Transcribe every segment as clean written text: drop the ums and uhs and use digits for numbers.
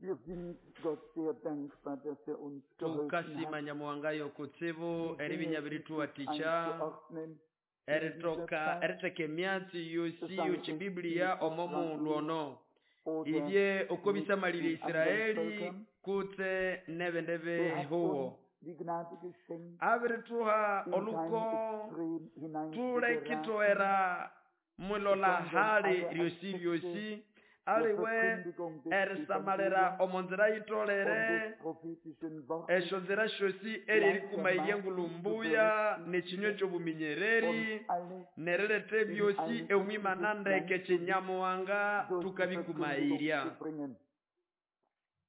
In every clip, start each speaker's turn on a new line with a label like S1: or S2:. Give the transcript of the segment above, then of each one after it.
S1: Wir sind Gott sehr dankbar, dass uns geholfen
S2: Tukasima
S1: hat,
S2: Nyamuhanga yokutsibu
S1: die
S2: eribinya
S1: Dinge
S2: birituwatikya
S1: einzuordnen in dieser
S2: eritoka
S1: Zeit,
S2: eriteka emyatsi yosi
S1: sei es
S2: yochibibuliya
S1: mit
S2: omo mughulhu
S1: Israel
S2: ono
S1: oder
S2: ibye oko
S1: mit
S2: bisamalire
S1: den anderen
S2: Isiraeli
S1: Völkern.
S2: kutse nebindi
S1: Er hat
S2: bihuwo.
S1: uns die Gnade geschenkt,
S2: Abirituha
S1: in kein
S2: oluko
S1: Extrem hineinzugeraten,
S2: tulekitowera mwilola
S1: sondern
S2: hali
S1: alle
S2: lyosi
S1: Aspekte
S2: lyosi
S1: der
S2: aliwe
S1: Verkündigung des
S2: erisamalira
S1: Evangeliums
S2: omo nzira
S1: und
S2: yitolere
S1: des prophetischen Wortes
S2: esyo nzira syosi eririkumaiya
S1: gleichermaßen
S2: engulhu
S1: zu
S2: mbuya n'ekinywa
S1: berücksichtigen
S2: ky'obuminyereri
S1: und alles
S2: nerileta
S1: in
S2: ebyosi
S1: ein
S2: omwimana
S1: richtiges
S2: ndeke
S1: Gleichgewicht
S2: ky'enyamuhanga
S1: durch die Verkündigung
S2: tukabikumairya.
S1: zu bringen.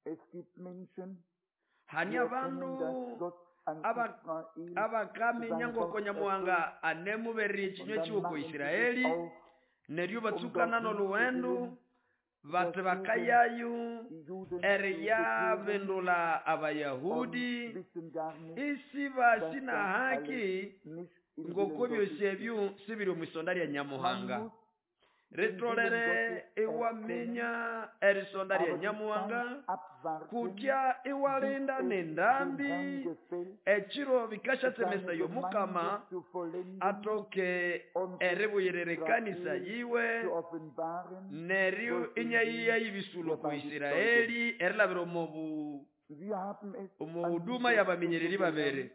S1: Es gibt Menschen,
S2: Hani
S1: die erkennen,
S2: abandu
S1: dass Gott an Israel
S2: abakaminya
S1: sein
S2: ngoko
S1: Wort
S2: Nyamuhanga
S1: erfüllt
S2: anemubererya
S1: und
S2: ekinywa
S1: dann
S2: kiwe ku
S1: machen sie sich
S2: Isiraeli
S1: auf,
S2: neryo
S1: um
S2: batsukana
S1: dorthin zu
S2: n'olhuwendu
S1: gehen,
S2: bati
S1: versuchen,
S2: bakayayu
S1: die Juden zu bekehren
S2: eriyabindula
S1: und
S2: Abayahudi
S1: wissen gar nicht,
S2: isi
S1: dass
S2: basi
S1: das
S2: na haki
S1: alles nicht im
S2: ngoko
S1: Willen
S2: byosi
S1: Gottes ist.
S2: ebyo sibiri omwisonda lya
S1: Man
S2: Nyamuhanga.
S1: muss den Willen
S2: Ritolere
S1: Gottes erkennen,
S2: iwaminya erisonda lya
S1: aber die
S2: Nyamuhanga
S1: Zeit abwarten,
S2: kutya
S1: bis
S2: iwalinda
S1: es dem
S2: n'endambi
S1: Herrn gefällt,
S2: ekiro bikashatsemesa
S1: seine
S2: y'Omukama
S1: Gemeinde zu vollenden
S2: atoke
S1: und sich
S2: eribuyirira ekanisa
S1: Israel
S2: yiwe
S1: zu offenbaren
S2: neryo
S1: durch den
S2: inyayiya
S1: Dienst
S2: y'ibisulo
S1: der
S2: ku
S1: beiden Zeugen.
S2: Isiraeli erilabira
S1: Wir haben es
S2: omu
S1: an
S2: huduma
S1: dieser
S2: y'abaminyereri
S1: Stelle
S2: babiri.
S1: gelernt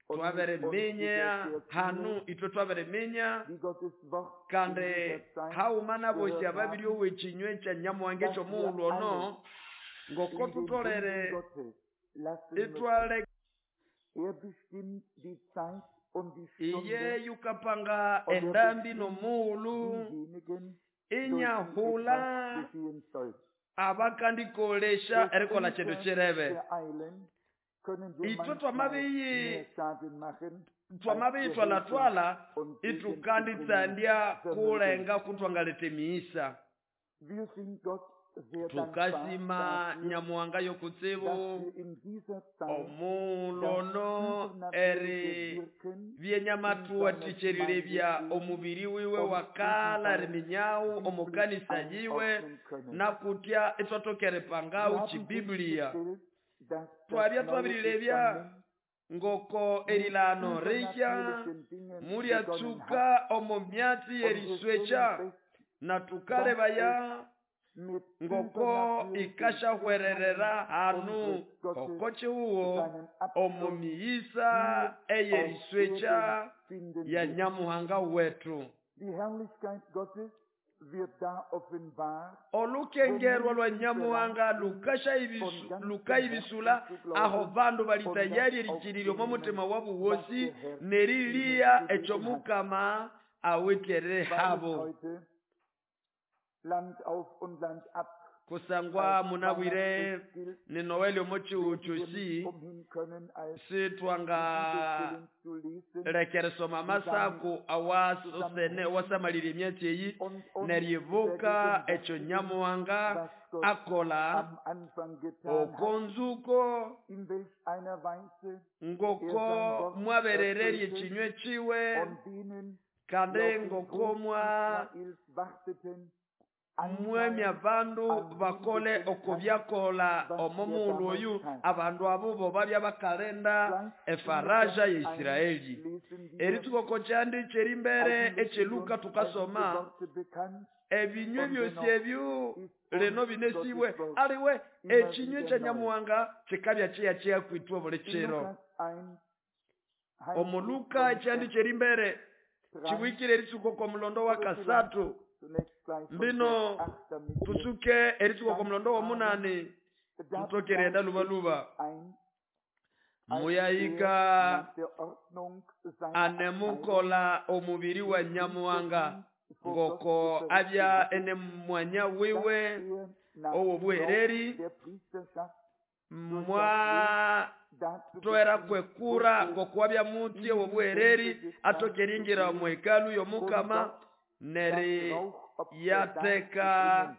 S1: und mit uns über
S2: Twaberiminya
S1: sehr
S2: hanu
S1: viele,
S2: ithwe twaberiminya
S1: die Gottes Wort in
S2: kandi
S1: dieser Zeit
S2: hauma n'abosi
S1: gehört
S2: ababiri
S1: haben,
S2: ow'ekinywa ekya Nyamuhanga
S1: dass wir
S2: eky'omughulhu ono
S1: alles
S2: ngoko
S1: in den Händen
S2: thutolere
S1: Gottes lassen müssen.
S2: ithwale
S1: Er bestimmt die Zeit und die
S2: iye
S1: Stunde
S2: yukapanga
S1: und er
S2: endambi
S1: bestimmt
S2: n'omughulhu
S1: diejenigen, durch die etwas
S2: inyahula
S1: geschehen soll.
S2: abakandikolesha
S1: Durch
S2: erikola kindu
S1: unser
S2: kirebe.
S1: Beeilen können wir
S2: Ithwe
S1: manchmal
S2: twamabiyi
S1: mehr Schaden machen, als wir helfen
S2: twamabiyithwalatwala
S1: und Segen zu bringen
S2: ithukanditsandya
S1: vermögen.
S2: kulenga kutwangaleta emighisa.
S1: Wir sind Gott sehr dankbar
S2: Tukasima
S1: dafür,
S2: Nyamuhanga yokutsibu
S1: dass wir in dieser Zeit
S2: omughulhu
S1: das
S2: ono eri
S1: übernatürliche Wirken in seiner
S2: byenyamatuwathikyerilebya
S1: Gemeinde sehen
S2: omubiri wiwe
S1: und
S2: wakala
S1: ebenfalls
S2: riminyawu omu
S1: biblisch
S2: kanisa yiwe
S1: einordnen können.
S2: nakutya ithwathoka
S1: Wir
S2: eripangawu
S1: haben
S2: chibibuliya.
S1: festgestellt, dass das
S2: Twabya
S1: Neue
S2: twabirilebya
S1: Testament
S2: ngoko
S1: mit
S2: erilano rihya
S1: übernatürlichen Dingen begonnen hat
S2: mulyatsuka omu myatsi
S1: und wir stellen
S2: yeriswekya
S1: fest,
S2: na
S1: dass es
S2: tukalebaya
S1: mit
S2: ngoko
S1: übernatürlichen
S2: ikashahwererera
S1: Signalen
S2: hanu
S1: unseres Gottes
S2: oko chihuho
S1: seinen
S2: omu
S1: Abschluss
S2: miyisa
S1: hier auf
S2: eyeriswekya
S1: Erden finden
S2: ya
S1: wird.
S2: Nyamuhanga wetu.
S1: Die Herrlichkeit Gottes wird da offenbar, wo
S2: Olukengerwa lwa
S1: Menschen bereit
S2: Nyamuhanga
S1: sind, von ganzem
S2: lukayibisula
S1: Herzen zu
S2: aho
S1: glauben
S2: bandu
S1: und das
S2: balitayari erikirirya omo mutima
S1: aufzunehmen,
S2: wabu
S1: was
S2: wosi
S1: der Herr ihnen
S2: neriliya
S1: gegeben hat.
S2: ekyomukama awithere
S1: Weil es
S2: habo.
S1: heute Land auf und Land ab
S2: Kusangwa
S1: als
S2: munabwire
S1: Weihnachtsfest gilt,
S2: ni Noeli omo chihu
S1: werden wir
S2: kyosi
S1: nicht umhin können, als die
S2: sitwanga
S1: Bibelstellen zu lesen,
S2: lekeresoma
S1: die damit
S2: amasaku awasosene
S1: zusammenhängen
S2: awasamalire emyatsi eyi
S1: und uns
S2: neryibuka ekyo
S1: vergegenwärtigen,
S2: Nyamuhanga
S1: was Gott
S2: akola
S1: am Anfang getan hat,
S2: okonzuko
S1: in welch einer Weise er sein
S2: ngoko
S1: Wort
S2: mwaberererye
S1: erfüllte
S2: ekinywa kiwe
S1: und denen, die
S2: kandi
S1: auf den
S2: ngoko
S1: Grund
S2: mwa
S1: Israels warteten,
S2: mwemya
S1: Anteil
S2: bandu
S1: an dem
S2: bakole
S1: geschenkt
S2: oko
S1: hat,
S2: byakola
S1: was
S2: omo
S1: er
S2: mughulhu
S1: damals
S2: oyu
S1: tat.
S2: abandu abo bo babya bakalenda
S1: Gleich in
S2: efaraja
S1: Lukas
S2: ya
S1: 1
S2: Isiraeli.
S1: lesen wir,
S2: Eritsuka oko kyandi kyerimbere
S1: eigentlich sind
S2: ekyeluka
S1: uns all diese
S2: tukasoma
S1: Worte bekannt
S2: ebinywa
S1: und
S2: byosi
S1: dennoch
S2: ebyo
S1: ist
S2: lino
S1: uns
S2: binesibwe
S1: Gottes Wort
S2: aliwe
S1: immer
S2: ekinywa
S1: wieder
S2: ekya
S1: neu.
S2: Nyamuhanga kikabya kyeya kwitwa buli
S1: In
S2: kiro.
S1: Lukas 1 heißt
S2: Omu
S1: es
S2: Luka
S1: von
S2: ekyandi
S1: Vers
S2: kyerimbere
S1: 3
S2: kibwikire eritsuka oko mulondo wa
S1: oder vielleicht
S2: kasatu
S1: zunächst gleich von Vers
S2: mbino
S1: 8, damit wir
S2: tutsuke eritsuka oko
S1: Zeit
S2: mulondo
S1: haben.
S2: w'omunani
S1: Da
S2: tutoke erighenda
S1: trat
S2: luba luba.
S1: Jesus ein, als er
S2: Muyahika
S1: nach der Ordnung seiner Abteilung
S2: anemukola omubiri wa
S1: den
S2: Nyamuhanga
S1: Priesterdienst vor Gott zu
S2: ngoko
S1: verrichten
S2: abya
S1: hatte,
S2: ene mwanya
S1: dass
S2: wiwe
S1: er nach
S2: owo
S1: Gebrauch
S2: buhereri
S1: der Priesterschaft durch das Blut
S2: mwa
S1: dazu
S2: toera
S1: bestimmt
S2: kwekura
S1: wurde,
S2: ngoko wabya mutsi
S1: in
S2: owo
S1: die
S2: buhereri
S1: Tempel des Herrn
S2: atoke
S1: zu
S2: eringira
S1: gehen
S2: omu hekalu
S1: und
S2: y'Omukama
S1: dort das
S2: neri
S1: Rauchopfer
S2: yateka
S1: darzubringen.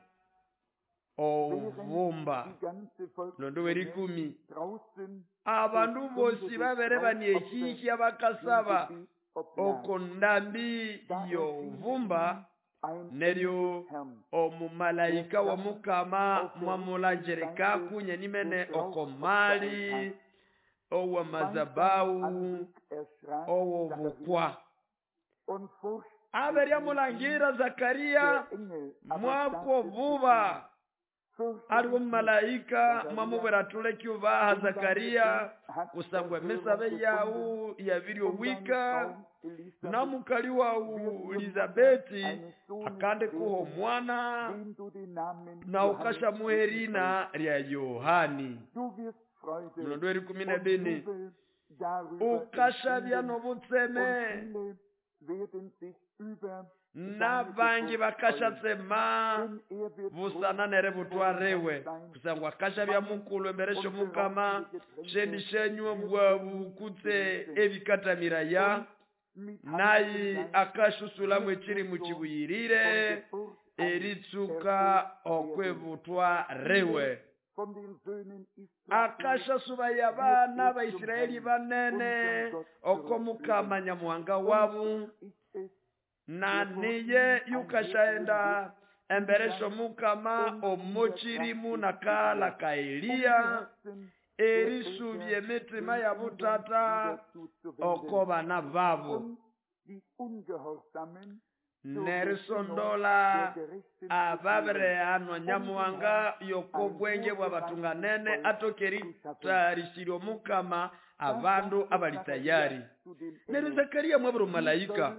S1: Während
S2: obuvumba.
S1: die ganze
S2: Mulondo
S1: Volksmenge
S2: w'erikumi
S1: draußen zur
S2: abandu
S1: Stunde
S2: bosi
S1: des
S2: babere
S1: Rauchopfers
S2: baniehihya
S1: dem
S2: bakasaba
S1: Gebet oblag.
S2: oko ndambi
S1: Da erschien
S2: y'obuvumba
S1: ihm
S2: Neryo omumalaika w'omukama mwamulangirikaku nyenimene oko mali ow'amazabau ow'obukwa. Aberya mulangira Zakaria mwako buba aliwo mumalaika mwamubwira atuleke ubaha Zakaria kusangwa emisabe yawu yabiri owika na mukali wawu Elizabeti akandi kuha omwana na ukashamuha erina lya Yohani. Mulondo w'erikumi n'ebini ukashabya n'obutseme n'abangi bakashatsema busana neributwariwe kusangwa akashabya mukulu embere sy'omukama shendi shenywa bwabu kutse ebikatamiraya nayi akashusulamu ekirimu kibuyirire eritsuka okwibutwariwe. Akashasubaya abana ba Isiraeli banene oko mukama nyamuhanga wabu na niye yukashaenda embere sy'omukama omukirimu nakala ka Eliya erisubya emitima yabutata oko bana babo nerisondola ababirehanwa nyamuhanga yoko bwenge bw'abatunganene atoke eritarisirya omukama abandu abali tayari. Neryo Zakaria mwabwira omumalaika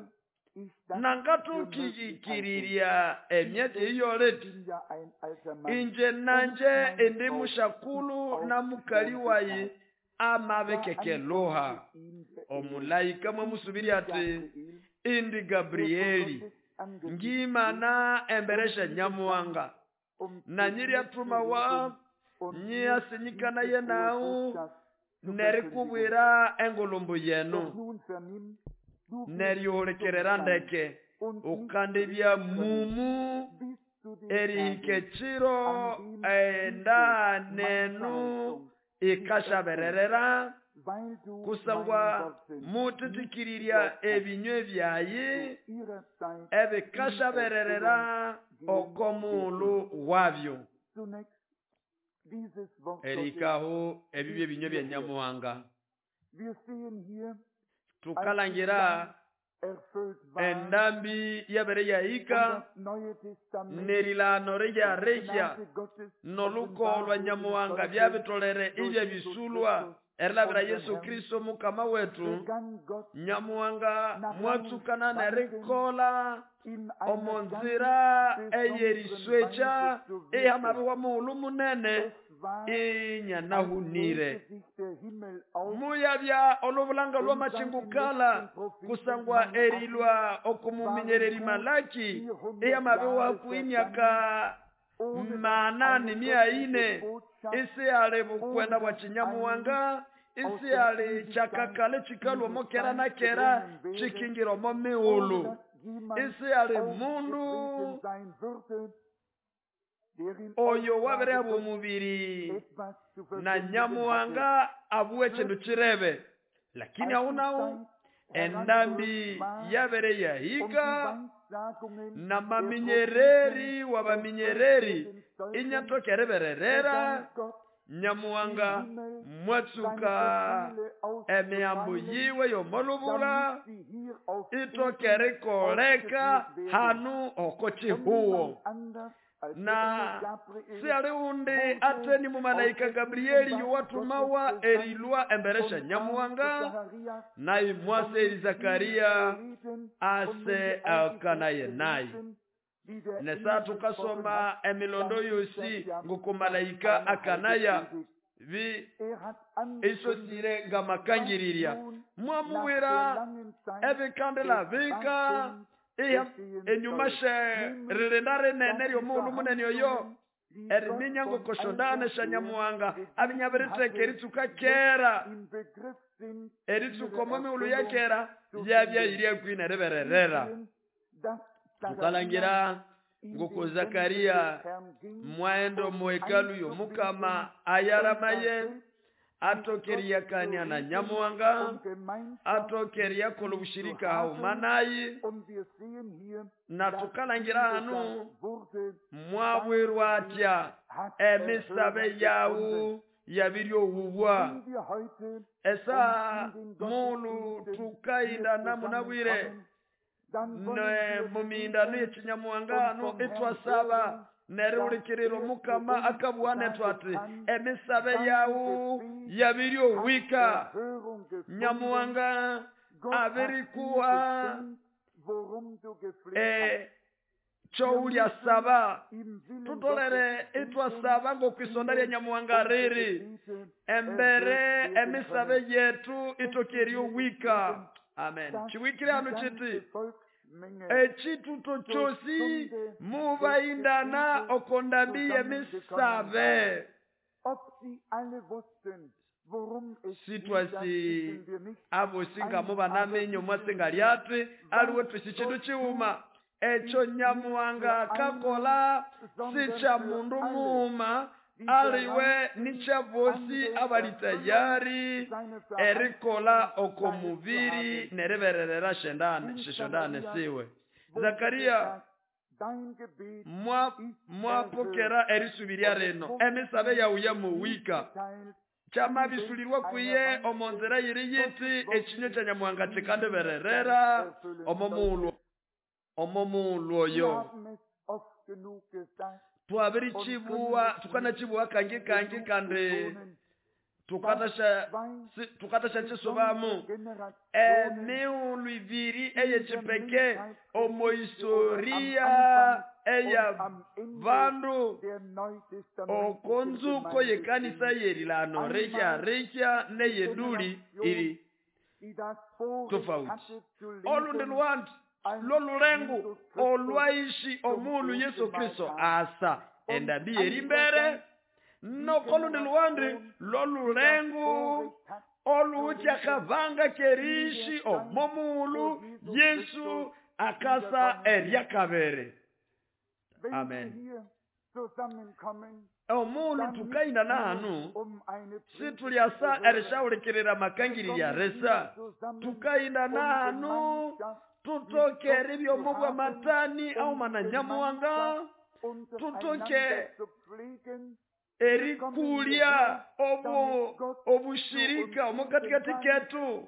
S2: nangathukikirirya emyatsi eyoleti inje nanje indi mushakulu na mukali wayi amabekekeluha. Omulaika mwamusubirya ati indi Gabrieli ngimana embere sya nyamuhanga na nyiryathuma wa nyiyasinyikanaye nawu nerikubwira engulumbu yenu neryohulekerera ndeke ukandibya mumu erihika ekiro enda nenu ikashabererera kusangwa muthikirirya ebinywe byayi ebikashabererera oko muulu wabyo. Erihikaho ebibyo ebinywe bya nyamuhanga. Tukalangira endambi yabere yahika nerilano ryarekya noluko lwa nyamuhanga byabitolere ibya bisulwa erilabira Yesu Kristo mukama wetu. Nyamuhanga mwatsukana nerikola omonzira eyeriswecha ihamabiwa mughulhu munene inyanahunire. Muyabya olubulanga lw'amachingukala kusangwa erilwa okumuminyereri Malaki ihamabiwaku emyaka manani mia ine isi ali bukwenda bwa kinyamuhanga isi ali kyakakale kikalwa omo kera na kera kikingira omo mighulhu isi ali mundu oyo wabirehabwa omubiri na nyamuhanga abuwe ekindu kirebe lakini ahunahu endambi yabere yahika na maminyereri wabaminyereri inyatoka eribererera. Nyamuhanga mwatsuka emiyambo yiwe y'omolubula itoka erikoleka hanu oko kihuwo. Na siali undi ateni mumalaika Gabrieli yuwatumawa erilwa embere sya nyamuhanga nayi mwase eri Zakaria ase akanaye naye. Nesa tukasoma emilondo yosi ngukumalaika akanaya vi isosire ngamakangirirya mwamuwira ebikandila bika enyuma she ririnda rinene ry'omughulhu munene oyo eriminya ngokoshondane sya nyamuhanga abinyabiritheka eritsuka kera eritsuka omo mighulhu ya kera yabya kwina eribererera. Tukalangira ngoko Zakaria mwaenda omu hekalu y'omukama ayaramaye Atokeriyakania na Nyamuhanga, atokeriyakolo bushirika haumanayi, na tukalangira hanu mwabwirwa atya emisabe yawu yabiryohubwa. Esa mulu tukaindana munabwire ne mumindano yekinyamuhanga hanu itwasaba nerihulikirira Mukama akabugha nethu ati emisabe yawu yabiryohwika. Nyamuhanga abirikuha choulyasaba. Tutolere itwasaba ngokwisonda lya Nyamuhanga riri embere emisabe yetu itokeryohwika. Amen. Chiwikire hanu chiti echituto chosi mubaindana okondambi yemisabe. Sitwasi abosinga mubanamenyo mwasinga lyatwe aliwe twisi chindu chiuma echo Nyamuhanga kakola si cha mundu muuma aliwe nicha bosi abali tayari erikola oko mubiri neribererera shishondane siwe. Zakaria mwapokera erisubiria reno emisabe yawu yamuwika chamabisulirwa kuye omonzera yiri yiti echinyo cha Nyamuhanga chikandibererera omo oyo. Twabirichibuwa tukanachibuwa kangi kangi kandi tukatasha chisobamu emiulu ibiri eyechipeke omohistoria eya vandu okonzuko yekanisa yerilano rikya rikya neyeduli iri tofauti. Olundi lwandi lolulengu olwaishi omulu Yesu Kristo asa endambi yerimbere nokolundi lwandi lolulengu olutyakavanga kerishi omomulu Yesu akasa eryakabere. Amen. Omulu tukainda nahanu situlyasa erishaulikirira makangiri ya resa. Tukainda nahanu tutoke ribyo mubwa matani au mana Nyamuhanga, tutoke erikulia obushirika omukatikati ketu.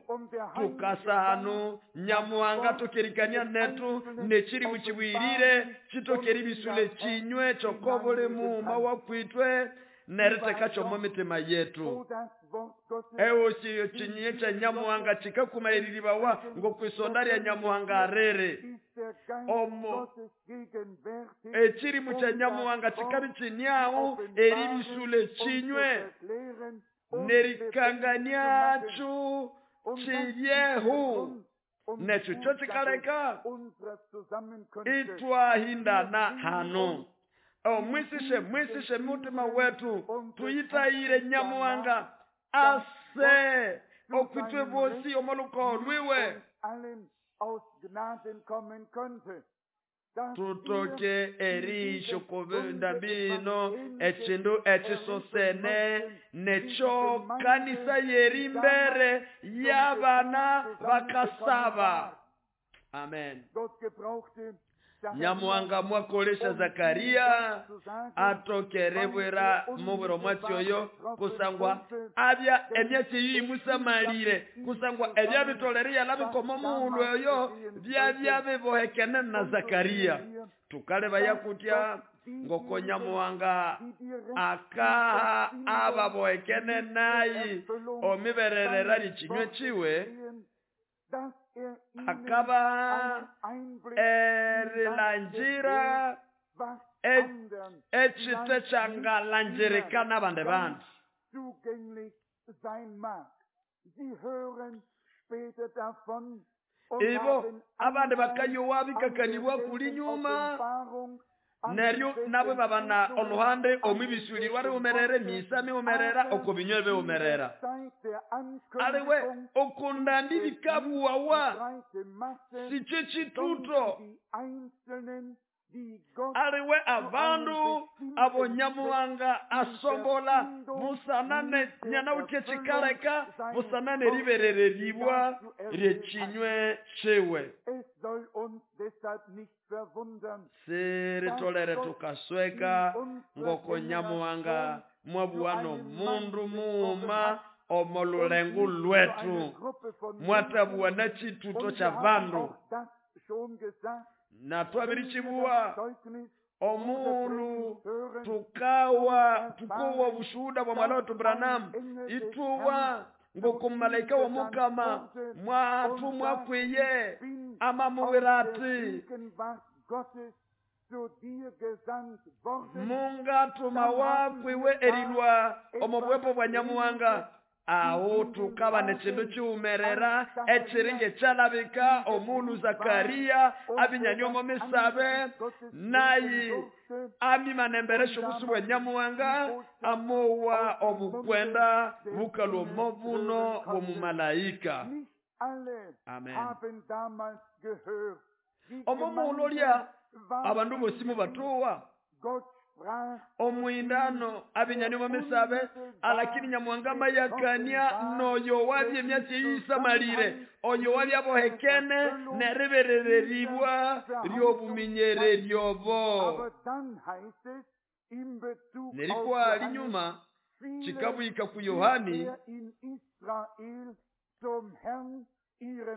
S2: Tukasa hanu Nyamuhanga tokerikania netu nechiri muchibwirire chitokeri bisule chinywe chokobole muuma wakwitwe neriteka chomo mitima yetu. Ewo chinywe cha Nyamuhanga chikakumairiribawa ngokwisonda lya Nyamuhanga rere. Omo echirimu cha Nyamuhanga chikabi chinyao eribisule chinywe nerikangania chiyehu necho cho chikaleka itwahindana hano. Mwisishe mutima wetu tuitaire Nyamuhanga ase okwitwe bosi omoluko lwiwe tutoke erisho ndambino echindu echisosene necho kanisa yerimbere yabana bakasaba. Amen. Nyamuhanga mwakolesha Zakaria atokerebwera mubwero mwatyoyo kusangwa abya emyatsi yimusamalire kusangwa ebya bitolere yalabikoma muulu oyo byabya bibohekene na Zakaria. Tukaleba yakutya ngoko Nyamuhanga akaha ababohekene nayi omibererera lichinywe chiwe akaba erilanjira echite changalanjirikana bande bandu. Ibo abandi bakayowa bikakanibwa kuli nyuma neryo nabo babana oluhande omwibisulirwa riumerere misa miumerera okobinywe biumerera. Aliwe okundambi bikabuwawa siche chituto Aliwe abandu abo Nyamuhanga asombola busana nyanawuthe chikaleka busana neriberereribwa ryechinywe chiwe. Siritolere tukasweka ngoko Nyamuhanga mwabuwano mundu muuma omo lulengu lwetu mwatabuwa na chituto cha bandu na twabirichibuwa omulu tukawa tukowa bushuhuda bwa mwana wetu Branham ituwa ngoko malaika wa mukama mwatumwa kwiye amamuwira ati mungatuma wakwiwe erilwa omo bwepo bwa Nyamuhanga aho tukaba nechindu chiumerera echiringe chalabika omulu Zakaria abinyanywa misabe nayi amimanemberesho busu bwa Nyamuhanga amowa obukwenda bukalwa mobuno bw'omumalaika. Amen. Omo lya abandu bosi mubatuwa omwindano abinyanywa misabe alakini Nyamuhanga mayakania noyo wabye emyatsi yisamalire oyo wabye abohekene neriberereribwa ryobuminyereryobo. Nerikwa linyuma chikabwika ku Yohani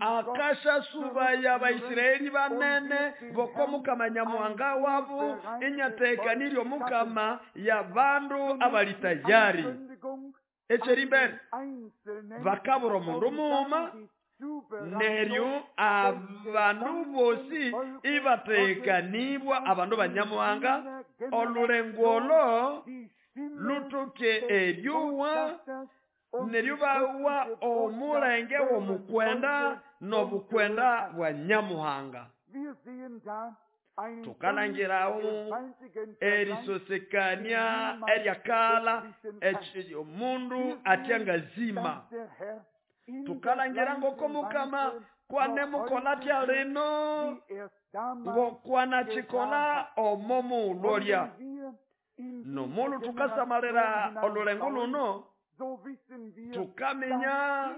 S2: akasha suba ya Baisiraeli banene boko mukama Nyamuhanga wabu inyatekaniryo mukama ya bandu abali tayari. Echerimbere bakabura omundu muuma neryo abandu bosi ibatekanibwa abandu ba Nyamuhanga olulengo lutuke eryuwa neryo bawa omulenge w'omukwenda n'obukwenda bwa Nyamuhanga. Tukalangirawo erisosekania eryakala omundu atyangazima. Tukalangira ngoko mukama kwane mukola tya lino ngokwana chikola omo mulolya nomulu tukasamalira olulengo luno tukamenya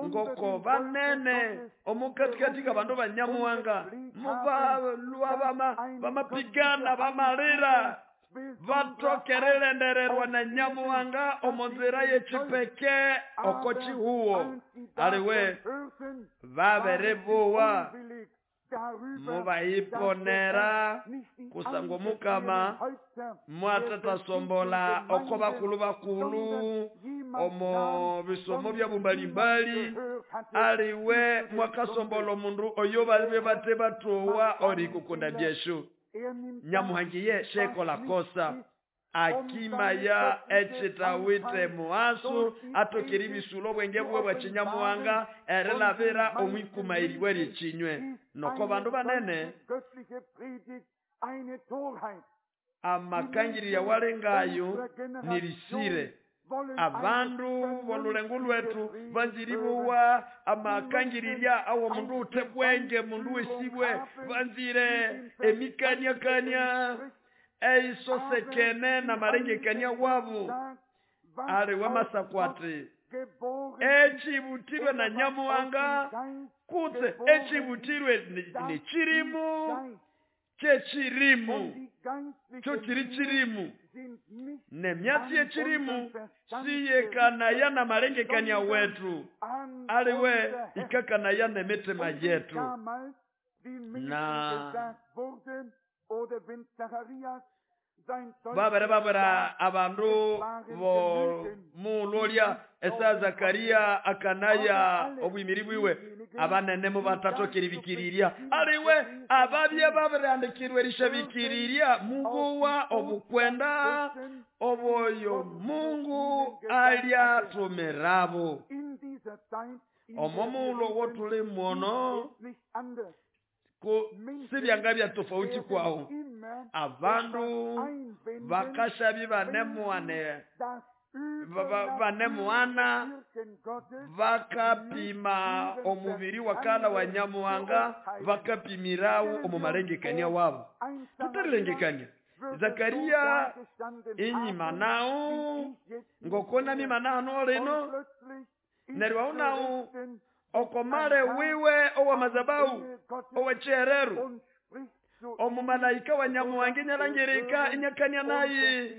S2: ngoko banene omukatikati bandu ba Nyamuhanga mubalwa bamapigana bamalira batokerelendererwa na Nyamuhanga omonzira yechipeke oko chihuo aliwe baberebuwa mubaiponera kusangwa mukama mwatatasombola oko bakulu bakulu omo bisomo bya bumbalimbali aliwe mwakasombola omundu oyo babe bate batowa ori kukunda byeshu. Nyamuhangiye shekola kosa akimaya echitawite muasu atokeri bisulo bwenge bwe bwa Chinyamuhanga erelabira omwikumairiwe richinywe noko bandu banene amakangiri ya walengayo nirisire abandu bolulengo lwetu banziribuwa amakangiriria awo mundu utebwenge mundu wesibwe banzire emikania eisosekene na marengekania wabu aliwe masakwati echibutirwe na Nyamuhanga kutse echibutirwe ni chirimu chechirimu cho chiri chirimu nemyatsi yechirimu siyekanaya na marengekania wetu aliwe ikakanaya nemitema yetu. Na babere abandu bo mulolya esa Zakaria akanaya obwimiri bwiwe abanene mu batatokeri bikiriria aliwe ababye baberandikirwe rishabikiriria muguwa obukwenda oboyo Mungu aliatumerabo. Omomulo wotuli muono ko sibyanga bya tofauti kwao abandu bakashabi banemuane Banemuhana bakapima omubiri wakala wa Nyamuhanga, bakapimirawo omu malengekania wabo. Tutalilengekania Zakaria inyima nawo ngoko namima nahano lino neryo aho nawo okomale wiwe owamazabau owechihereru omumalaika wa Nyamuhanga inyalangirika inyakania naye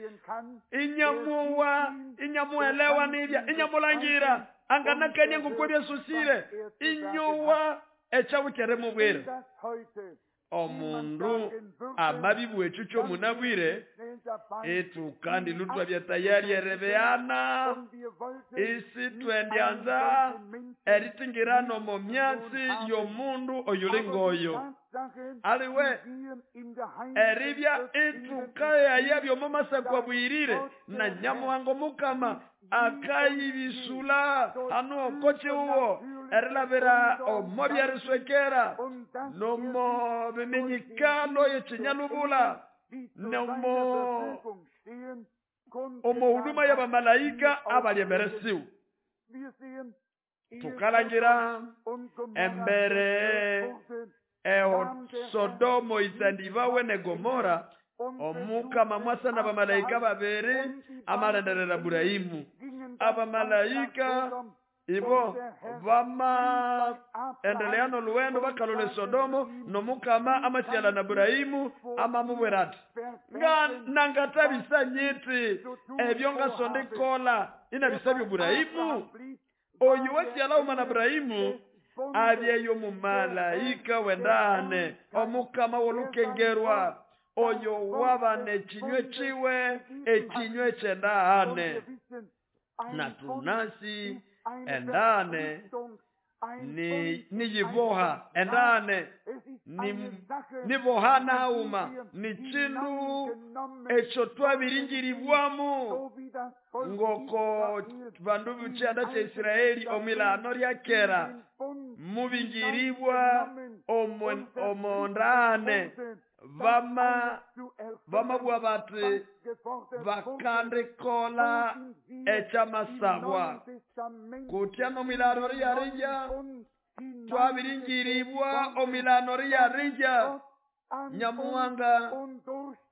S2: inyamuwa inyamuelewa nibya inyamulangira anganakania ngoko byasusire inyowa ekyawukere mubwire. Omundu amabibu echo kyomunabwire etu kandi lutwa bya tayari erebeana isi twendyanza eritingirano omu myatsi y'omundu oyulingoyo aliwe eribya etukayaya by'omu bwirire na Nyamuhanga Mukama akayibisula hano okochiuwo erilabira omo byariswekera nomo biminyikalo yechinyalubula nomo omo huduma y'abamalaika abalyemeresiwe. Tukalangira embere eho Sodomo isandibawe ne Gomora omukama mwasa n'abamalaika babiri amalenderera Burahimu. Abamalaika ibo bama endeleano luwendo bakalole Sodomo nomukama amasiala na Burahimu amamubwira ati nga nangatabisa nyiti ebyo ngasondikola inabisabyo Burahimu. Oyu wasiala umana Burahimu abyeyo mumalaika wendane omukama wolukengerwa oyo wabane chinywe chiwe echinywe chendane na tunasi endane ni niyiboha endane ni bohana hauma ni chindu echo twabiringiribwamu ngoko bandu b'ekyanda kya Israeli omilano lyakera mubingiribwa omondane vamabwa bati bakandikola ekyamasabwa kutya nomilano riyarija twabiringiribwa omilano riyarija Nyamuhanga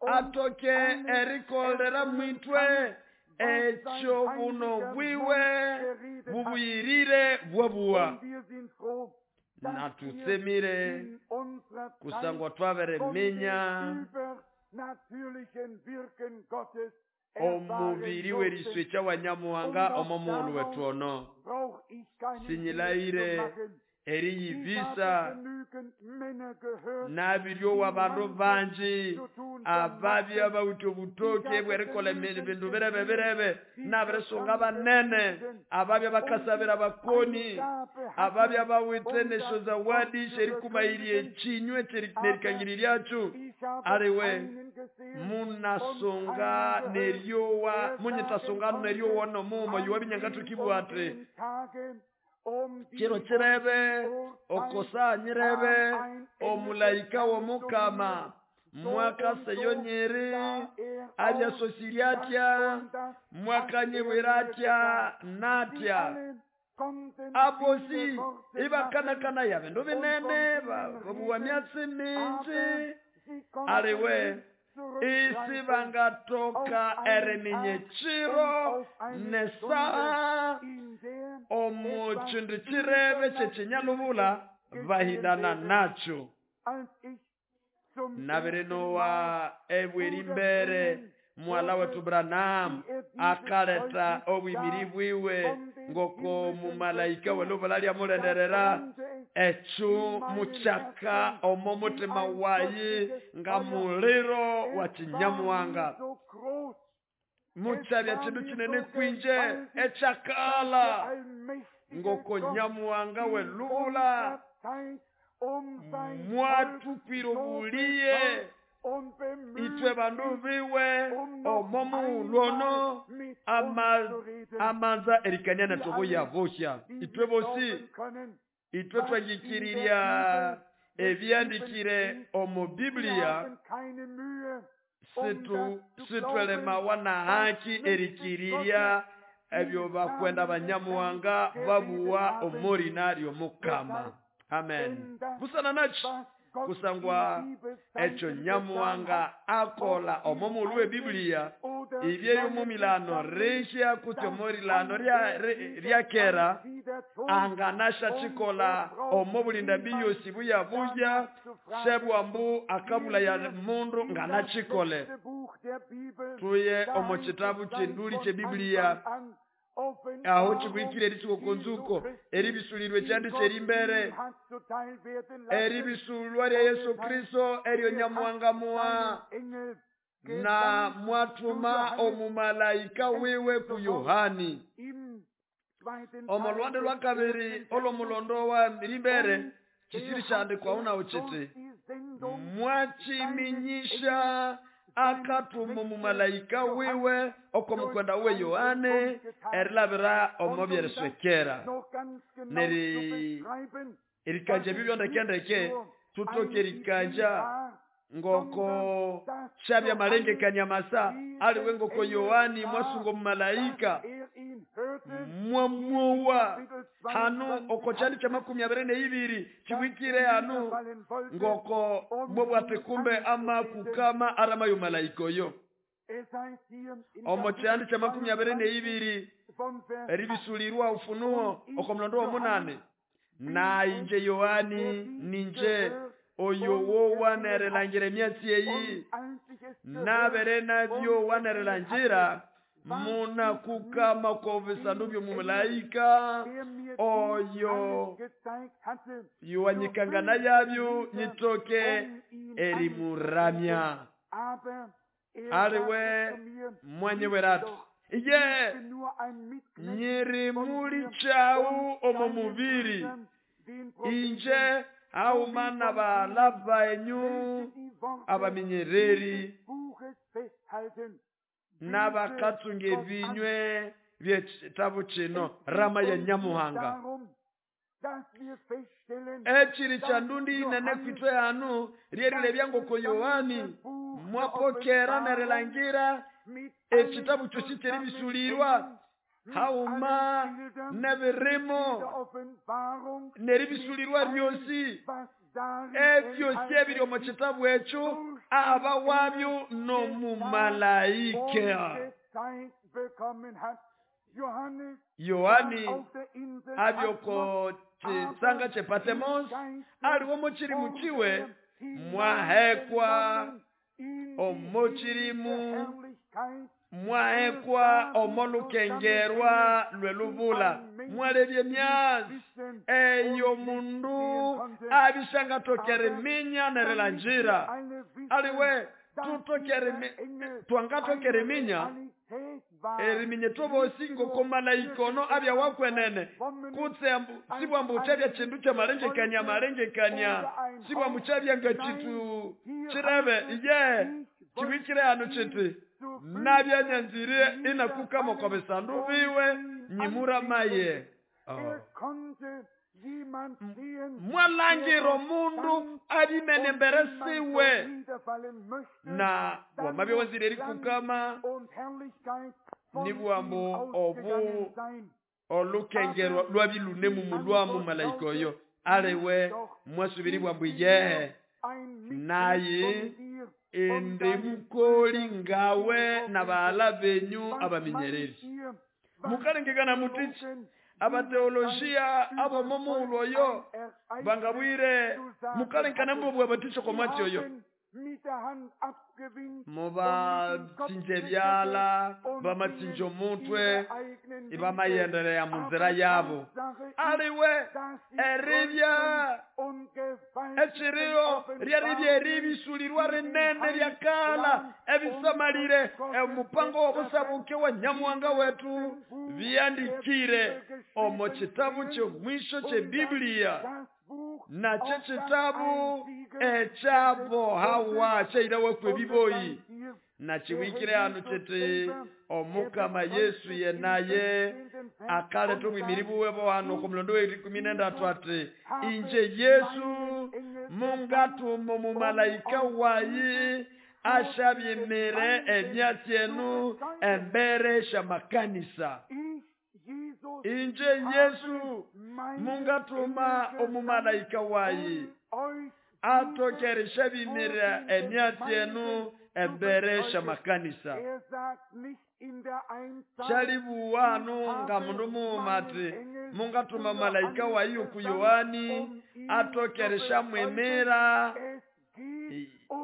S2: atoke erikolera mwitwe ekyo buno bwiwe bubuyirire bwabuwa. Natusemire kusangwa twabereminya omubiri w'eriswe kya Nyamuhanga omo muulu wetu ono sinyilaire eriyibisa nabiryowa bandu banji ababya bawithe obutoke bw'erikola ebindu birebe birebe nabirisonga banene ababya bakasabira bakoni ababya bawithe nesyo zawadi sherikumayirya ekinywe nerikangiri lyakyo aliwe munasonga neryowa munyitasonga neryowa nomumo yuwa binyangathukibwa ati kiro kirebe okosa nyirebe omulaika w'omukama mwakaseyo nyiri abyasosirya atya mwakanyibwira atya natya abosi ibakanakana ya bindu binene babuwa myatsi mingi aliwe isi bangatoka eriminya ekiro nesaha omu kindu kirebe kyekinyalubula bahindana nakyo. Nabirinowa ebweri mbere mwala wetu Branham akaleta obwimiri bwiwe ngoko mumalaika welubula lyamulenderera ekyo mukyaka omo mutima wayi nga muliro wa kinyamuhanga mukyabya kindu kinene kwinje ekyakala ngoko Nyamuhanga welubula mwatukwira obuliye itwe bandu biwe omo muulu ono amanza erikania natobo yabosya itwe bosi itwe twangikirirya ebyandikire omu Biblia situlemawa na haki erikirirya ebyo bakwenda banyamuhanga babuwa omorina ly'omukama. Amen. Busana nachi kusangwa ekyo nyamuhanga akola omo mulu w'ebibuliya ibyeyo mumilano rishya kuti omorilano ryakera anganasha chikola omo bulinda biyosi buya buya shebwambu akabula ya mundu nganachikole. Tuye omo chitabu chinduli che Biblia aho chibwikire erisuko eribisulirwe chandi cherimbere eribisulwa lya Yesu Kristo eryo nyamuhanga muwa na mwatuma omumalaika wiwe ku Yohani. Omo lwande lwa kabiri olomulondo wa rimbere chisiri chandikwa una uchiti mwachiminyisha akatuma omumalaika wiwe okomukwenda uwe Yohane erilabira omo byeriswekera. Neri erikanja bibyo ndekendeke tutoke erikanja ngoko shabya malengekanya masa aliwe ngoko Yohani mwasungo mumalaika mwamuwa hanu okochali cha 22 chiwikire hanu ngoko mwabwate kumbe ama kukama arama yo malaika yo. Omo chandi cha 22 eribisulirwa ufunuo okomlondo wa 8 na inje Yohani ninje oyo wo wanerelangira emyatsi eyi nabere nabyo wanerelangira muna kukama kwa visandu byo mumalaika oyo yuwanyikangana yabyo nyitoke erimuramya. Aliwe mwanyeweratu iye nyiri muli chau omo mubiri inje au mana balaba enyu abaminyereri n'abakatsunga ebinywe by'ekitabo kino rama ya nyamuhanga. Ekiri kya ndundi inene kwitwe hanu ryerire byangoko Yohani mwapokera nerelangira ekitabu kyosi kyeribisulirwa hauma nebirimo neribisulirwa byosi ebyosi ebiri omu kitabu ekyo aba wabyo n'omumalaika. Yohani abyoko chisanga che Patmos aliwo muchirimu chiwe mwahekwa omuchirimu mwahekwa omolukengerwa lwelubula mwalebye myazi eyo mundu abishanga tokereminya nerelanjira aliwe twangatokereminya eriminye tobosi ngoko malaikono abya wakwenene kutse sibwambu chabya chindu cha malengekanya malengekanya sibwambu chabya nga chitu chirebe iye chiwikire hano chiti nabya nyanzire inakukama kwa bisandu biwe nyimuramaye. Mwalangiro mundu abimene mbere siwe na wamabye wazire erikukama nibwambu obu olukengerwa lwabilune mumulwamu malaika oyo aliwe mwasubiri bwambu ye naye ende mukoli ngawe na baala benyu abaminyereri. Mukalengekana mutichi abateolojia abo momulo oyo bangabwire mukalenkana mbobwe abaticho kwa mwatsi oyo mubatsinje byala bamatsinje omutwe ibamayendelea munzira yabo aliwe eribya ekiriyo ryaribya eribisulirwa rinene ryakala ebisamalire omupango w'obusabuke wa nyamuhanga wetu byandikire omu kitabu ky'omwisho ky'Ebiblia nakyo kitabu ekyabohawa kyairawe kwebiboyi nakiwikire hano kiti omukama Yesu yenaye akaleta omwimiri buwebo hano kumulondo we 13 ati inje Yesu mungatuma omumalaika wayi ashabyemere emyatsi enu embere shamakanisa. Inje Yesu mungatuma omumalaika wayi atokeresha bimira emyatsi enu embere shamakanisa. Shalibuwanu nga mundu muuma ati mungatuma malaika wayi oku Yohani atokeresha mwimira.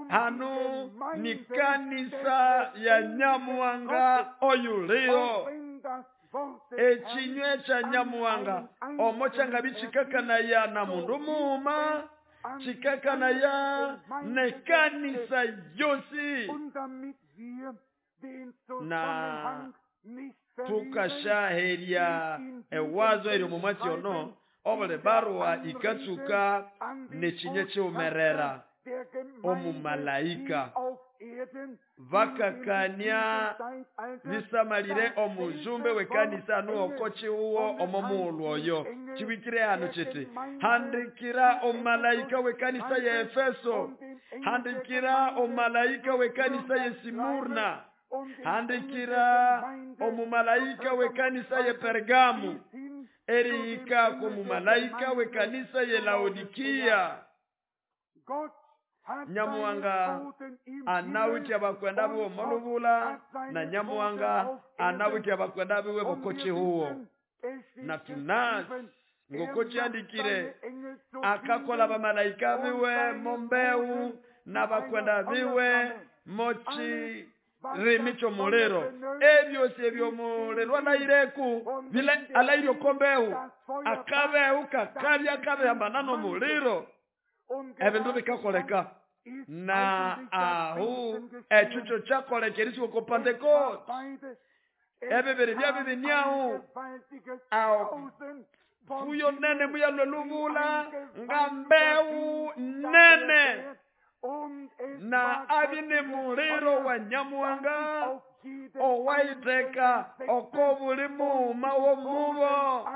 S2: Hano ni kanisa ya Nyamuhanga oyuliyo. Echinywe cha Nyamuhanga omo changabi chikakanaya na mundu muuma chikakanaya ne kanisa yosi. Na tukashaheria ewazo eryo mumwatsi ono obuli barua ikatsuka nechinywe chiumerera omumalaika bakakania bisamalire omujumbe wekanisa nuoko chiuwo omo muulu oyo. Chiwikire hano chiti handikira omumalaika wekanisa ya Efeso, handikira omumalaika wekanisa ya Simurna, handikira omumalaika wekanisa ya Pergamu, erihika komumalaika wekanisa ya Laodikia. Nyamuhanga anawitya bakwenda biwe omolubula na Nyamuhanga anawitya bakwenda biwe bokochihuo. Na tunasi ngokochiandikire akakola bamalaika biwe mombeu na bakwenda biwe mochi rimi chomuliro. Ebyosi ebyomuliro alaireku bile alaire okombeu akabeu kakabya kabehambana nomuliro ebindu bikakoleka. Na ahu echucho chakolekerisiwa ko Pentecost ebibiri byabibiniahu aho fuyo nene muyalwe luvula nga mbeu nene na abi ni muliro wa Nyamuhanga owaiteka oko buli muuma womubo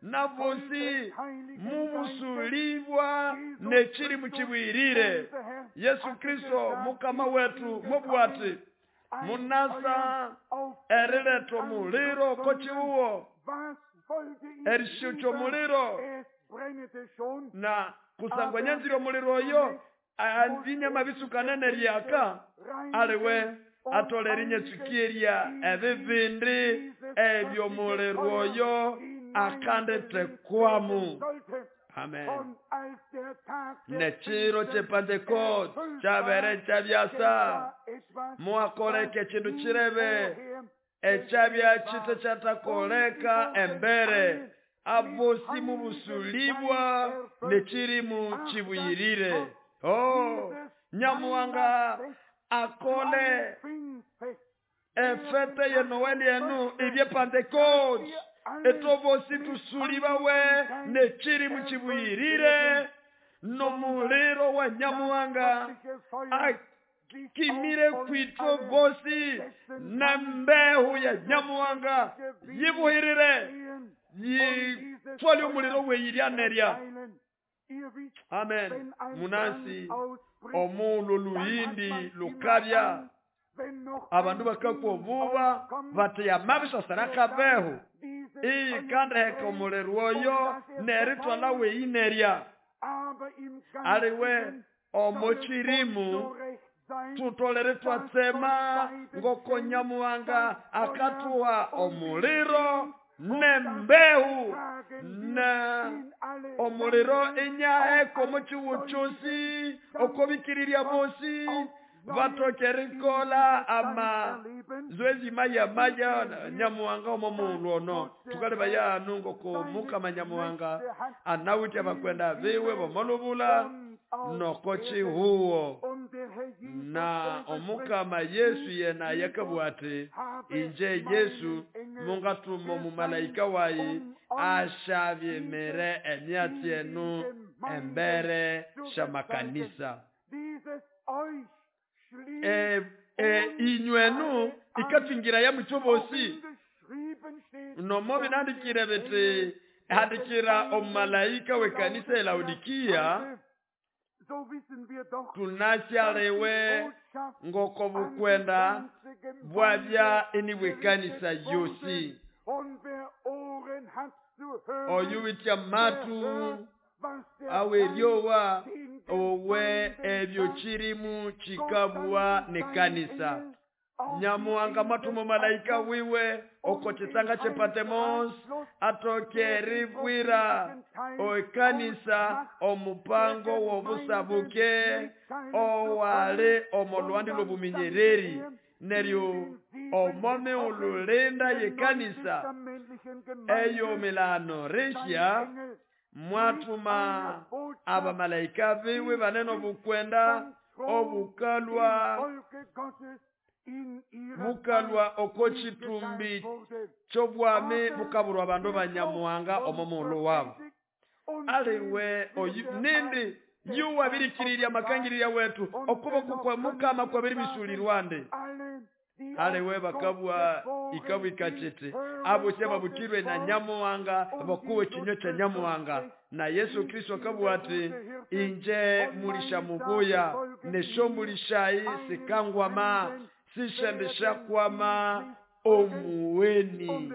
S2: na bosi mumusulibwa nechiri muchibwirire. Yesu Kristo mukama wetu mubwati munasa erileto muliro kochiuwo erishucho muliro na kusangwa nyanziro muliro oyo andinyama bisukanene ryaka aliwe atolere nyesukiria ebibindi ebyo muliro oyo akandetekwamu. Amen. Nechiro che Pentecost chabere chabyasa mwakoleke chindu chirebe echabya chite chatakoleka embere abosi mubusulibwa nechirimu chibuyirire. Oh, Nyamuhanga akole efete ye Noeli enu ibye Pentecost etobosi tusulibawe nechiri muchibuyirire nomuliro wa Nyamuhanga akimire kwitwo bosi na mbehu ya Nyamuhanga yibuhirire yitwale omuliro weyirya nerya. Amen. Munansi omulu luhindi lukabya abandu bakakwa obuba bateya mabisha sarakabeho iyi kandeheka omuliro oyo neritwala weyinerya aliwe omochirimu tutolere twatsema ngoko Nyamuhanga akatuha omuliro nembehu na omuliro inyaheko muchiwuchusi okobikiriria bosi batokerikola ama zoezi maya maya Nyamuhanga omo muulu ono tukaleba yanu ngoko mukama Nyamuhanga anawitya bakwenda biwe bomolubula noko chihuo. Na omukama Yesu yena yakabwati inje Yesu mungatuma omumalaika wayi ashabyemere emyatsi enu embere shamakanisa. Inywenu ikatwingira ya muchobosi nomo binandikire biti handikira omumalaika wekanisa ya Laodikia tunasyalewe ngoko bukwenda bwabya eniwekanisa yosi. Oyuwitya matu aweryowa owe ebyo chirimu chikabwa nekanisa. Nyamuhanga mwatuma malaika wiwe oko chitsanga che Patmos atoke ribwira okanisa omupango wobusabuke owali omolwandi lwobuminyereri neryo omomi ululinda yekanisa eyo milano risha mwatuma abamalaika biwe banene obukwenda obukalwa bukalwa oko chitumbi chobwami bukaburwa abandu banyamuhanga omo muulu wabo. Aliwe oyu nindi yuwabirikiriria makangiriria wetu okuboko kwa mukama kwabiribisulirwande. Aliwe bakabwa ikabwika chiti abo babukirwe na nyamuhanga bakuwe chinyo cha nyamuhanga. Na Yesu Kristo akabwa ati inje mulisha mubuya neshombulishayi sikangwama sishendesha kwama omuweni.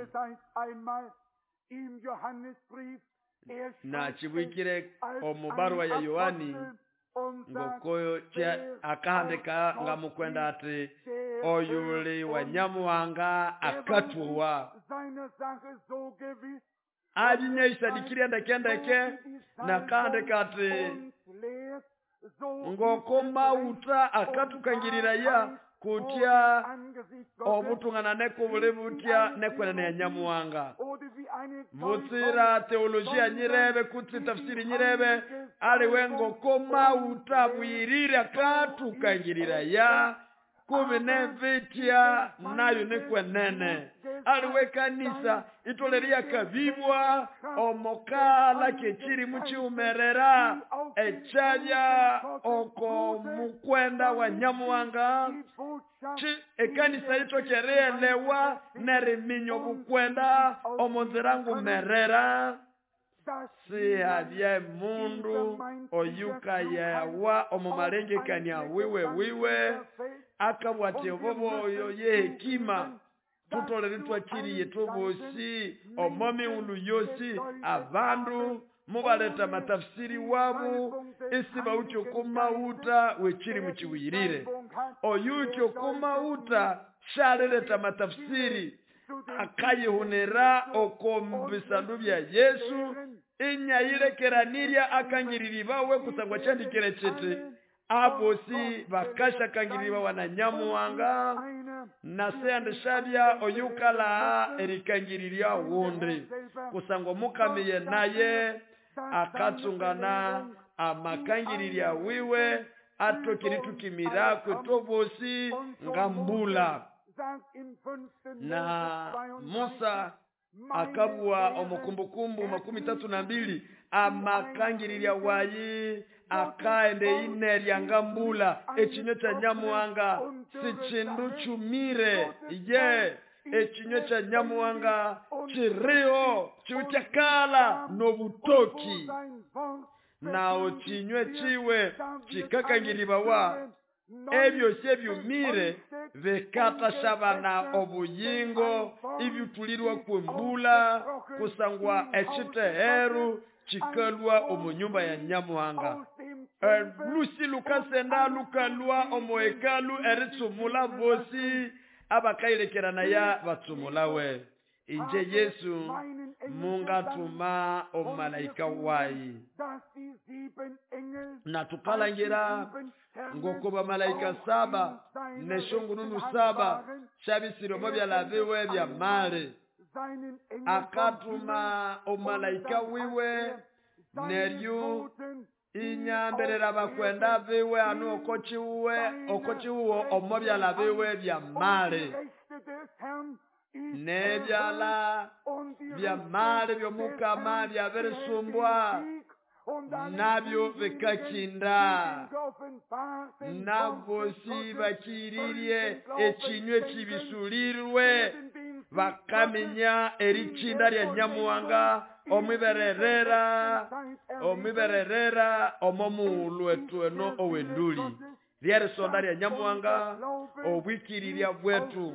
S2: Na chibwikire omubarua ya Yohani ngokoyo akahandika nga mukwenda ati oyuli wa nyamuhanga akatuwa. Alinyaisadikiria ndeke na kahandika ati ngoko mauta akatukangirira ya kutya obutungana nekubuli butya nekwenene ya nyamuhanga. Butsira teolojia nyirebe kutsi tafsiri nyirebe aliwe ngoko mauta bwirire akatukangirira ya kubi nevitya nayo nekwenene. Aliwe kanisa itoleria kabibwa omokala kechiri muchiumerera echalya oko mukwenda wa nyamuhanga. Ekanisa itokereelewa neriminya bukwenda omonzirangu merera. Sihabye mundu oyuka yawa omumalengekania wiwe wiwe akabwati obobo ye hekima tutolere twakiriye tubosi omomi ulu yosi abandu mubaleta matafsiri wabu isi baucho kumauta wechiri muchiwirire. Oyucho kumauta shaleleta matafsiri akayihunira okombisandu bya Yesu inyayilekeranirya akangiriri bawe kusangwa chandikire chiti abosi bakasha kangiriri bawe na nyamuhanga na seyandeshabya oyukala erikangiriria wundi kusangwa mukamiye naye akatsungana amakangiriria wiwe atokiritukimira kwetobosi ngambula. Na Musa akabwa omukumbukumbu 32 amakangiriria wayi akaende inerya ngambula echinyo cha nyamuhanga sichindu chumire ye echinyo cha nyamuhanga chiriho chiuchakala nobutoki nao chinywe chiwe chikakangiribawa ebyo sebyumire bekatashabana obuyingo ibyutulirwa kwembula kusangwa echiteheru chikalwa omunyumba ya nyamuhanga. Lusi lukasenda lukalwa omuhekalu eritsumula bosi abakailekerana ya batsumulawe. Inje Yesu mungatuma omalaika wayi. Na tukalangira ngoko bamalaika 7 neshongununu 7 shabisiro byalabiwe bya mali. Akatuma omalaika wiwe neryo inyamberera bakwenda biwe anu okochiuwe okochiuwo omo byalabiwe bya mali. Nebyala bya mali byomukama byabirisumba nabyo bikakinda nabosi bakiririe ekinywe kibisulirwe bakamenya erichinda lya nyamuhanga omwibererera omomuulu wetu eno owenduli. Lyerisonda lya Nyamuhanga, obwikirirya bwetu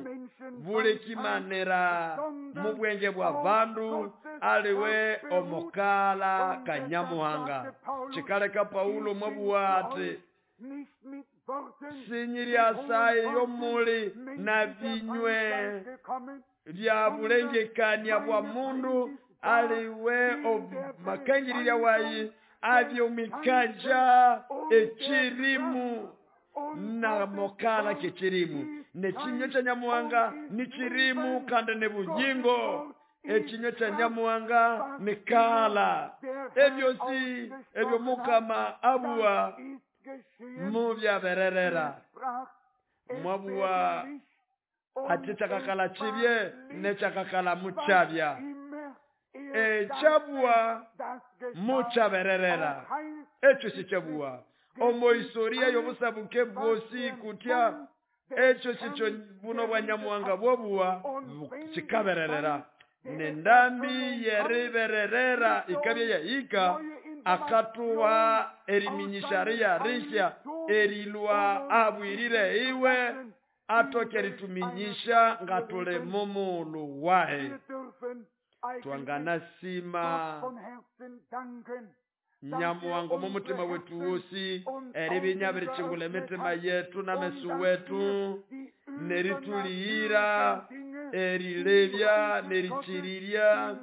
S2: bulekimanira mu bwenge bwa bandu aliwe omukala ka Nyamuhanga. Kikaleka Paulo mwabuwa ati sinyirya yomuli na binywe bya bulengekania bwa mundu aliwe makangirira wayi abyomikanja ekirimu na mokala kekirimu. Nekinywe kya Nyamuhanga ni kirimu kandi ni bunyingo. Ekinywe kya Nyamuhanga ni kala. Ebyosi ebyo Mukama abuwa mubyabererera. Mwabuwa ati kyakakala kibye nekyakakala mukyabya. Ekyabuwa mukyabererera. Ekyo sikyabuwa. Omo historia y'obusabuke bwosi kutya ekyo sikyo buno bwa Nyamuhanga bwobuwa kikabererera. Nendambi yeribererera ikabya yahika akatuwa eriminyisharia rishya erilwa abwirire iwe atoke rituminyisha ngatule mumulu wahe. Twanganasima Nyamuhanga mumutima wetu wosi eribinya birichingula emitima yetu n'amesu wetu neritulihira erilebya nerichirirya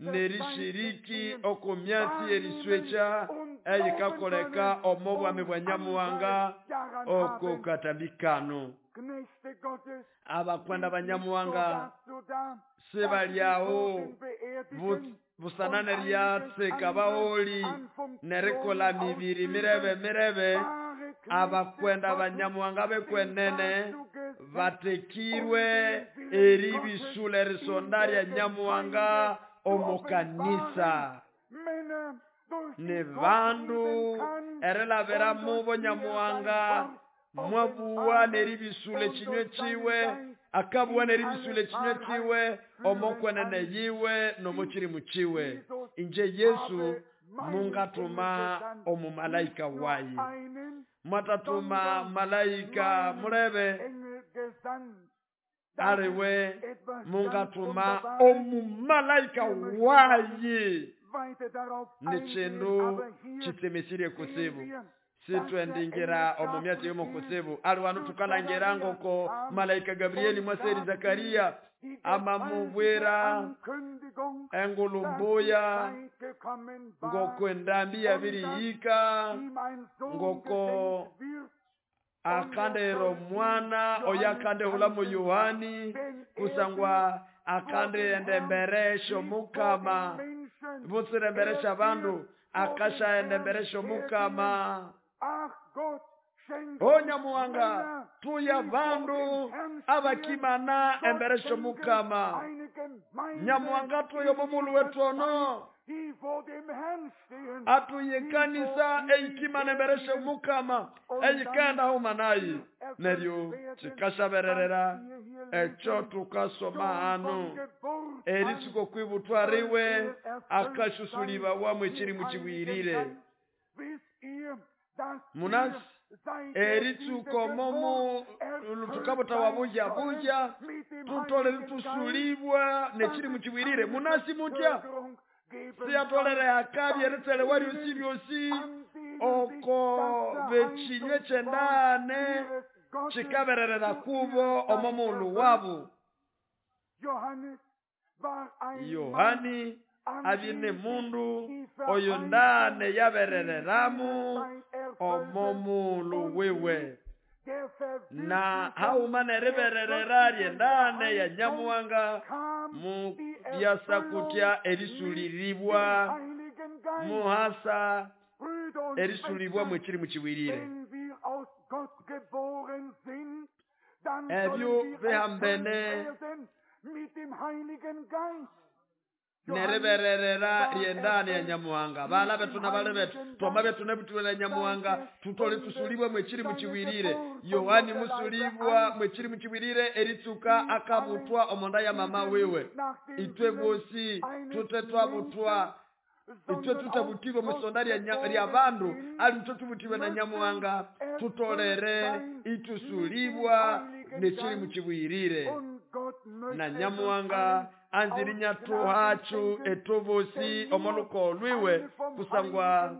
S2: nerishiriki okumyatsi eriswecha eyikakoleka omo bwami bwa Nyamuhanga oko katambikano. Abakwenda ba Nyamuhanga sibalyawo busanane lyatsika baoli nerikola mibiri mirebe mirebe. Abakwenda ba Nyamuhanga bekwenene batekirwe eribisula erisonda lya Nyamuhanga omukanisa. Ni bandu erilabira mubo Nyamuhanga mwabuwa neribisula ekinywe kiwe akabuwa neribisula ekinywe kiwe omokwenene yiwe nomukirimu kiwe. Inje Yesu mungatuma omumalaika wayi. Mwatatuma malaika mulebe aliwe mungatuma omumalaika wayi. Ni kindu kitsemesirye kusibu. Sitwendingira omumyatsi yomukusibu aliwanu tukalangira ngoko malaika Gabrieli mwaseri Zakaria amamubwira engulumbuya ngoko endambi yabirihika ngoko akandero mwana oyo akandehula mu Yohani kusangwa akande emberesho mukama butsire emberesha bandu akasha emberesho mukama. O Nyamuhanga tuya bandu abakimana emberesho mukama. Nyamuhanga tuyo mumulu wetu ono atuye kanisa eikimana emberesho mukama eyikenda humanayi neryo kikashabererera ekyo tukasoma hano eritsuko kwibutwariwe akashusuliba wamwe kiri mukibwirire. Munasi eritsuko momo tukabota wabuja buja tutole tusulibwa nekiri mukibwirire. Munasi mutya siyatolere akabi eritsele waryosi byosi oko bekinywe kyendane kikabererera kubo omomulu wabu. Yohani abine mundu oyo ndane yaberereramu omomulu wiwe na hauma neribererera lyendane ya Nyamuhanga mu byasa kutya erisuliribwa muhasa erisulibwa mwekiri mukibwirire. Ebyo bihambene nerebererera lyendane ya Nyamuhanga. Bala betu na bale betu twama betu nebutwela Nyamuhanga tutole tusulibwe mwekiri mukibwirire. Yohani musulibwa mwekiri mukibwirire eritsuka akabutwa omonda ya mama wiwe. Itwe bosi tute twabutwa Itwe tutabutibwe mwisonda lya bandu, ali itwe tubutibwe na Nyamuhanga, tutolere itusulibwa n'ekirimu kibwirire. Na Nyamuhanga anziri nyatuhachu etubusi omoluko olwiwe kusangwa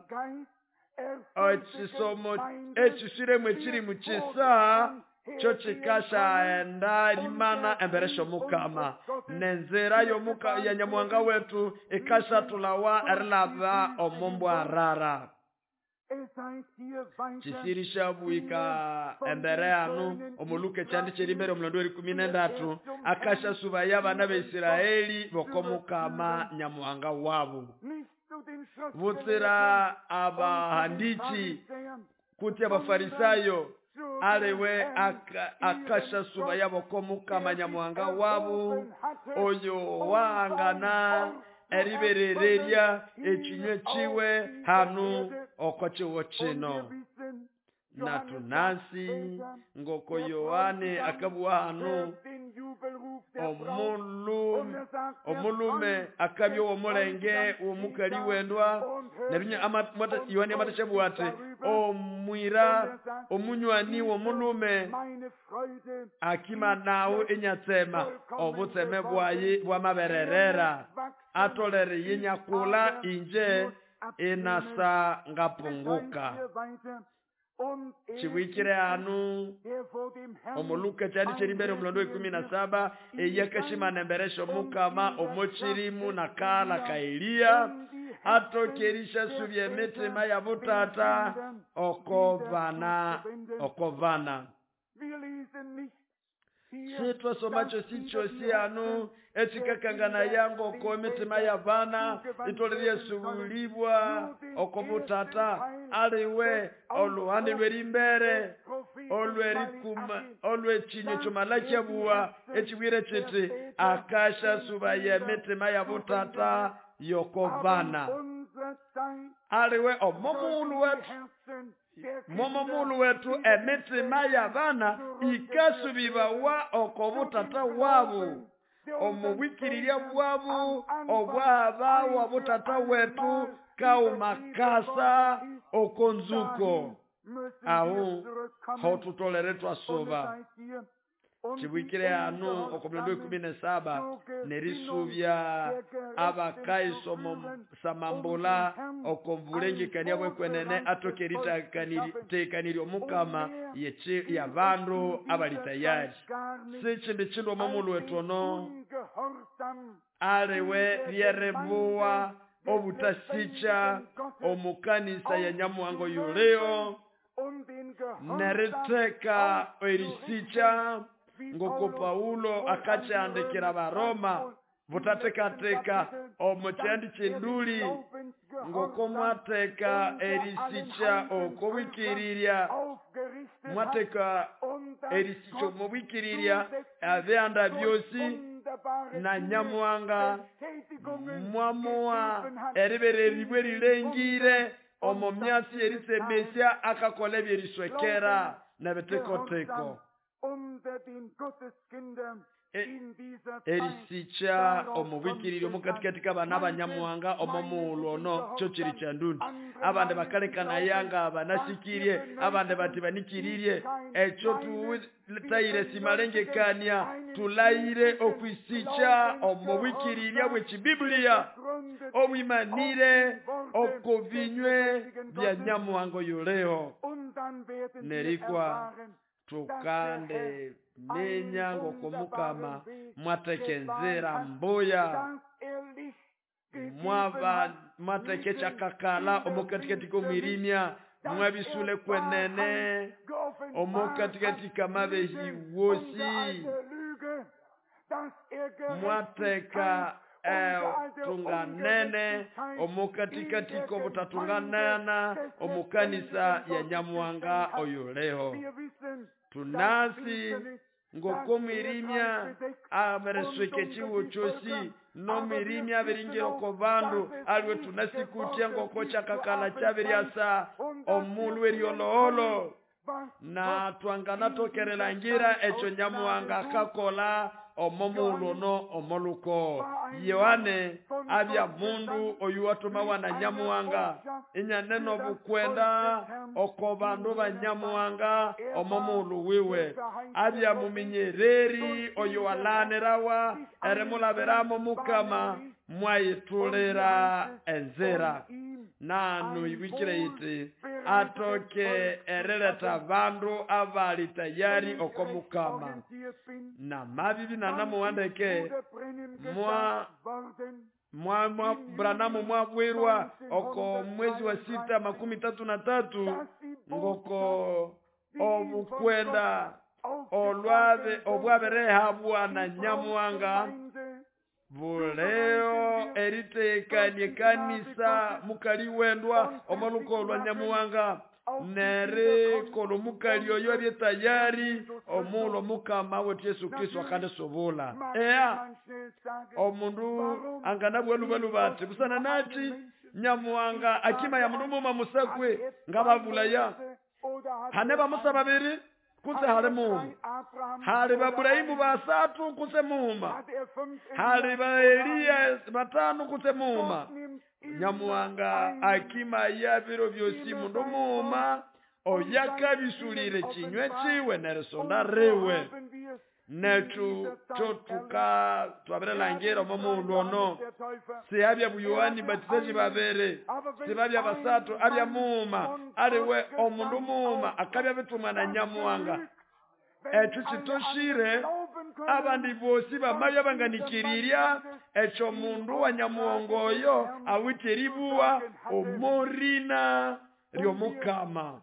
S2: ekisomo ekisiremu ekirimu kisa kyo kikashaenda rimana embere Mukama nenzira ya Nyamuhanga wetu ikashatulawa erilaba omumbwarara. Kisirisha bwika embere anu omuluka ekyandi kyerimbere omulondo 13 akashasuba y'abana b'Isiraeli bokomukama Nyamuhanga wabu. Butsira abahandichi kuti abafarisayo aliwe akashasuba y'abokomukama Nyamuhanga wabu oyo wahangana eriberererya ekinywe kiwe hanu oko kiwo kino. Na tunasi ngoko Yohane akabuwa hanu omulume akabya omulenge omukali wendwa nebinya Yohane amatashabuwa ati omwira omunywani w'omulume akima nawu enyatsema obutseme bwayi bwamabererera atolere yinyakula inje inasa ngapunguka. Chiwikire anu omuluka kyandi kyerimbere omulondo 17 eyakashimana emberesho Mukama omochirimu nakala ka Eliya atokerisha subya emitima ya butata okovana. Sitwasoma kyosi kyosi anu ekikakangana yango oko emitima y'abana itolere subulibwa oko butata aliwe oluhande lw'erimbere olw'ekinyo kyomalakyabua ekibwire kiti akasha suba y'emitima ya butata yokovana. Aliwe omomulu wetu momomulu wetu emitima y'abana ikasubibawa oko butata wabu omubwikirirya bwabu obwaba wa butata wetu kaumakasa okonzuko aho hotutolere twasuba. Chibwikire anu okomulondo 17 nerisubya abakaisomo samambula okomvulengekania bwekwenene atokeritekanirya omukama ya bandu abali tayari. Sichindi chindu omomulu wetu ono aliwe ryerebuwa obutasicha omukanisa ya Nyamuhango yuleo neriteka erisicha ngoko Paulo akachandikira Baroma butatekateka omukyandi kyenduli ngoko mwateka erisicha okobwikirirya mwateka erisicha omubwikirirya abyanda byosi na Nyamuhanga mwamuwa eribereribwe rilengire omo myasi erisemesya akakola ebyeriswekera nebitekoteko. Erisicha omubwikiriri omukatikati k'abana abanyamuhanga omomughulhu ono kyo kiri kyandundi. Abandi bakalekana yanga banasikirie, abandi bati banikiririe. Ekyo tutayire simalengekania tulayire okwisicha omubwikirirya bw'ekibibulia obwimanire okobinywe bya Nyamuhanga yuleho nerikwa tukande minya ng'okumukama mwatekenzera mbuya mwaba mwatekekyakakala omukatikati k'omwirimya mwabisule kwenene omukatikati k'amabehi wosi mwateka tunganene omukatikati k'obutatunganana omukanisa ya Nyamuhanga oyuleho. Tunasi ng'okomwirimya aberesweke chiwo chosi nomwirimya abiringiro ko bandu aliwe tunasi kutya ng'oko kyakakala kyabiryasa omulhu eryoloholo na twanganatokerelangira ekyo Nyamuhanga akakola omo muulu omo luko. Yohane abya mundu oyu watumawa na Nyamuhanga inyanene obukwenda oko bandu ba Nyamuhanga omo muulu wiwe. Abya muminyereri oyo walanirawa erimulabiramo Mukama mwayitulira enzira. Nanu ibikire iti atoke erileta bandu abali tayari oko Mukama. Na mabibi nanamuwandeke mwa Branamu mwabwirwa oko mwezi wa 6 33 ngoko obukwenda olwabe obwaberehabwa na Nyamuhanga buleo eritekanie kanisa mukali wendwa omoluko lwa Nyamuhanga nere kolo mukali oyo abye tayari omulo Mukama wetu Yesu Kristo akandisobula. Ea omundu anganabwelubalu bati busana nachi Nyamuhanga akima ya mundu muma musakwe ngababulaya hane bamusa babiri kutse hali muuma, hali Baburahimu basatu kutse muuma, hali ba Eliya batano kutse muuma. Nyamuhanga akima ya biro byosi mundu muuma oyakabisulire chinywe chiwe nerisonda riwe. Netu chotuka twabirelangira omo muulu ono siabya Yohani Batizaji babere sibabya basatu abya muuma aliwe omundu muuma akabya bitumwa na Nyamuhanga. Ekyo kitoshire abandi bosi bamabya banganikirirya ekyo mundu wa Nyamuhanga oyo awithe eribuwa omorina ry'Omukama.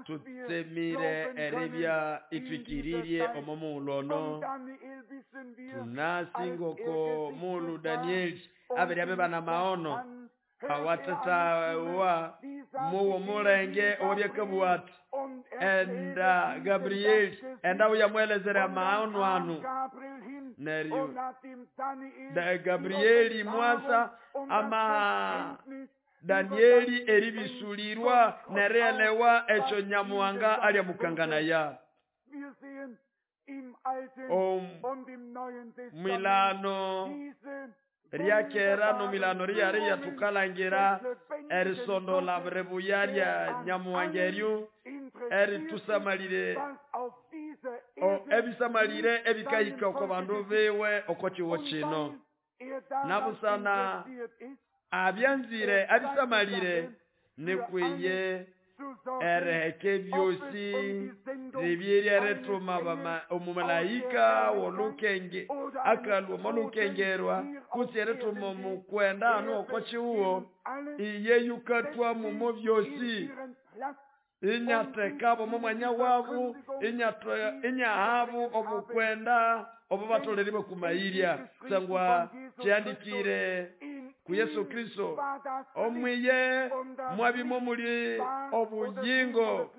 S2: Tutsemire eribya itwikiririe omo muulu ono. Tunasi ngoko muulu Danieli abere abe bana maono awatatawa muwo mulenge owabyakabwa ati enda Gabrieli enda uyamwelezera maono anu. Neryo Gabrieli mwasa ama Danieli eribisulirwa nerelewa ekyo Nyamuhanga alyamukanganaya. Milano ryakera no milano ryariya tukalangira erisondola rebuya rya Nyamuhanga eryo eritusamalire ebisamalire ebikahika oko bandu biwe oko kiwo kino. Nabusana abyanzire abisamalire nikwiye ereheke byosi ribyeri erituma omumalaika wolukenge akalwa molukengerwa kutsi erituma omukwenda anu oko kiwo iye yukatwa mumo byosi inyatekabo mu mwanya wabu inyahabu obukwenda obo batoleribwe kumayirya sangwa kyandikire ku Yesu Kristo omwiye mwabimo muli obuyingo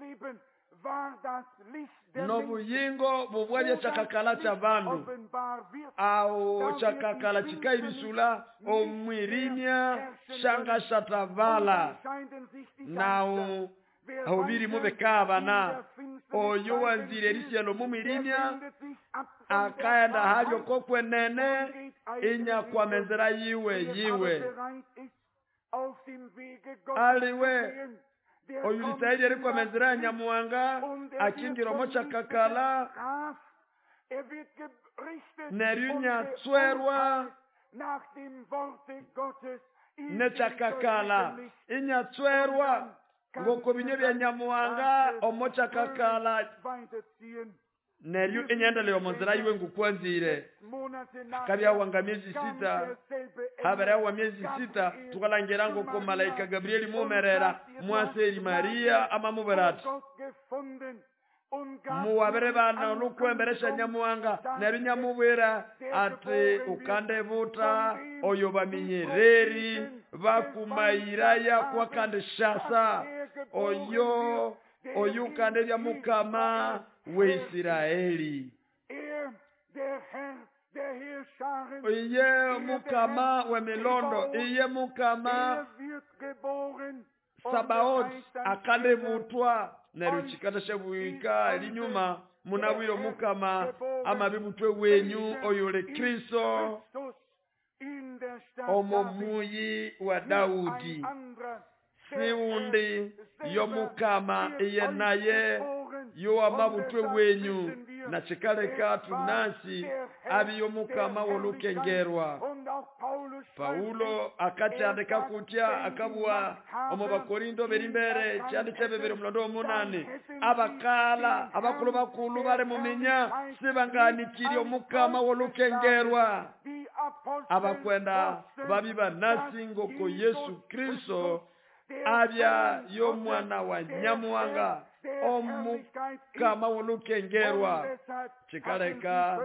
S2: nobuyingo bubwabya chakakala cha bandu awo chakakala chikaibisula omwirimya shanga shatavala nawo ahubiri mubekabana oyo wanzire erisyalo mumwirimya akaenda halyo kokwenene inya kwa menzera yiwe yiwe aliwe oyulitairi eri kwa menzera ya Nyamuhanga akingira omo chakakala neryo inyatswerwa nechakakala inyatswerwa ngoko binyo bya Nyamuhanga omo chakakala neryo inyendeleo omonzera yiwe ngukwanzire. Kabya miezi 6 habere wa miezi 6 tukalangira ngoko malaika Gabrieli mumerera mwaseri Maria amamuberati muwabere bana lukwemberesha Nyamuhanga neryo nyamubwira ati ukande buta oyo baminyereri bakumayiraya kwa kandi shasa oyo oyukande bya Mukama we Isiraeli. Iye Mukama we milondo, iye Mukama Sabaoth akande butwa neryo chikata shebuika linyuma Munabwire Omukama amabibutwe wenyu oyuli Kristo omo muyi wa Daudi. Siundi yomukama iye naye yowamabutwe wenyu na chikaleka tunasi abi yomukama wolukengerwa. Paulo akachandika kutya akabwa omo Bakorinto berimbere chandi chebebere omulondo omunani abakala abakulu bakulu bali muminya sibanganikiri omukama wolukengerwa. Abakwenda babi banasi ngoko Yesu Kristo abya yomwana wa Nyamuhanga omukama wolukengerwa. Chikaleka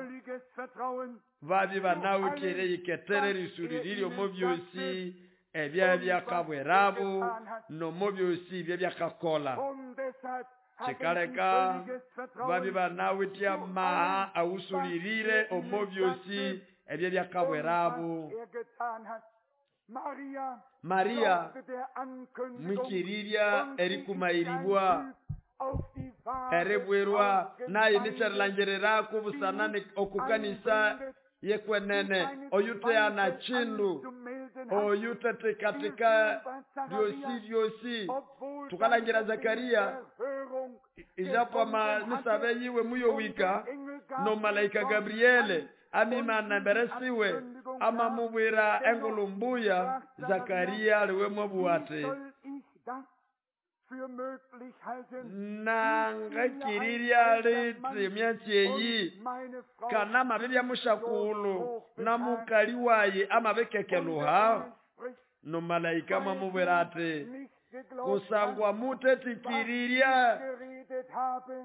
S2: babi banawikire yiketere risuliriri omo byosi ebya byakabwerabu nomo byosi ebya byakakola. Chikaleka babi banawitya maha awusulirire omo byosi ebya byakabwerabu. Maria mwikirirya erikumairibwa eribwirwa naye nikyerilangirirako busanani okukanisa yekwenene oyuteana chindu oyutetekatika byosi byosi. Tukalangira Zakaria ijapo misabe yiwe muyowika no malaika Gabriele amimana mberesiwe amamubwira engulumbuya. Zakaria aliwe mwabuwate nangakiriria liti myatyeyi kana mabibya mushakulu na mukali waye amabekekeluha. No malaika mwamubwira ati kusangwa mutetikiriria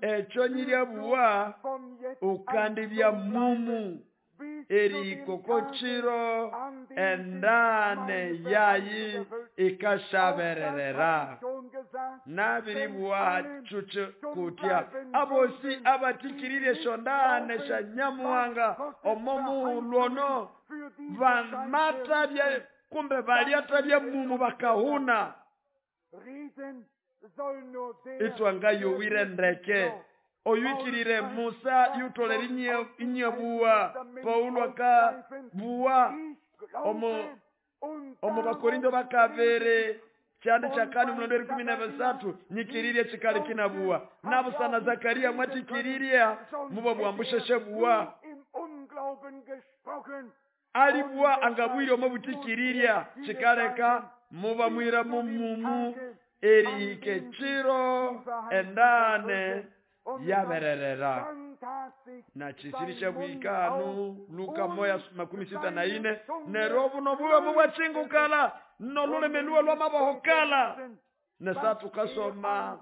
S2: ekyo nyiryabuwa ukandibya mumu erikoko chiro endane yayi ikashabererera. Nabiribwa chuchu kutya abosi abatikirire shondane sha Nyamuhanga omomu lwono vamatabya kumbe baliatabya mumu bakahuna. Itwanga yowire ndeke oyuikirire Musa yutolere inyebuwa. Paulo akabuwa omo Bakorinto bakabere chandi chakani mulondo 13 nyikiririe chikali kinabuwa. Nabusana Zakaria mwatikiriria muba bwambusheshe buwa alibuwa angabwire omo butikiriria chikaleka muba mwira mumumu erike chiro endane yabererera. Na chisirisha bwikanu Luka 1:64 nerobu nobuwe mubwachingukala nolulimi luwe lwamabahokala. Nesa tukasoma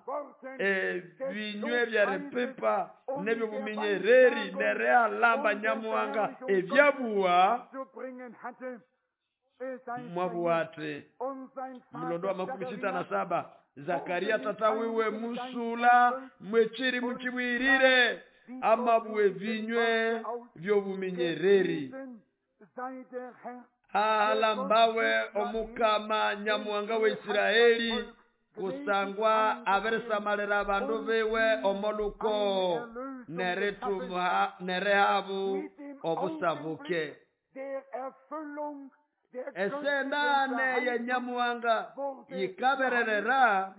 S2: binywe bya repepa nebyo buminyereri nerealamba Nyamuhanga ebyabuwa mwabuwate. Mulondo wa 67 Zakaria tata wiwe musula mwechiri muchibwirire amabuwe vinywe vyobuminyereri. Alambawe omukama Nyamuhanga wa Israeli kusangwa aberesamalira abandu biwe omoluko neretumuha nerehabu obusabuke. Esendane ya Nyamuhanga yikabererera.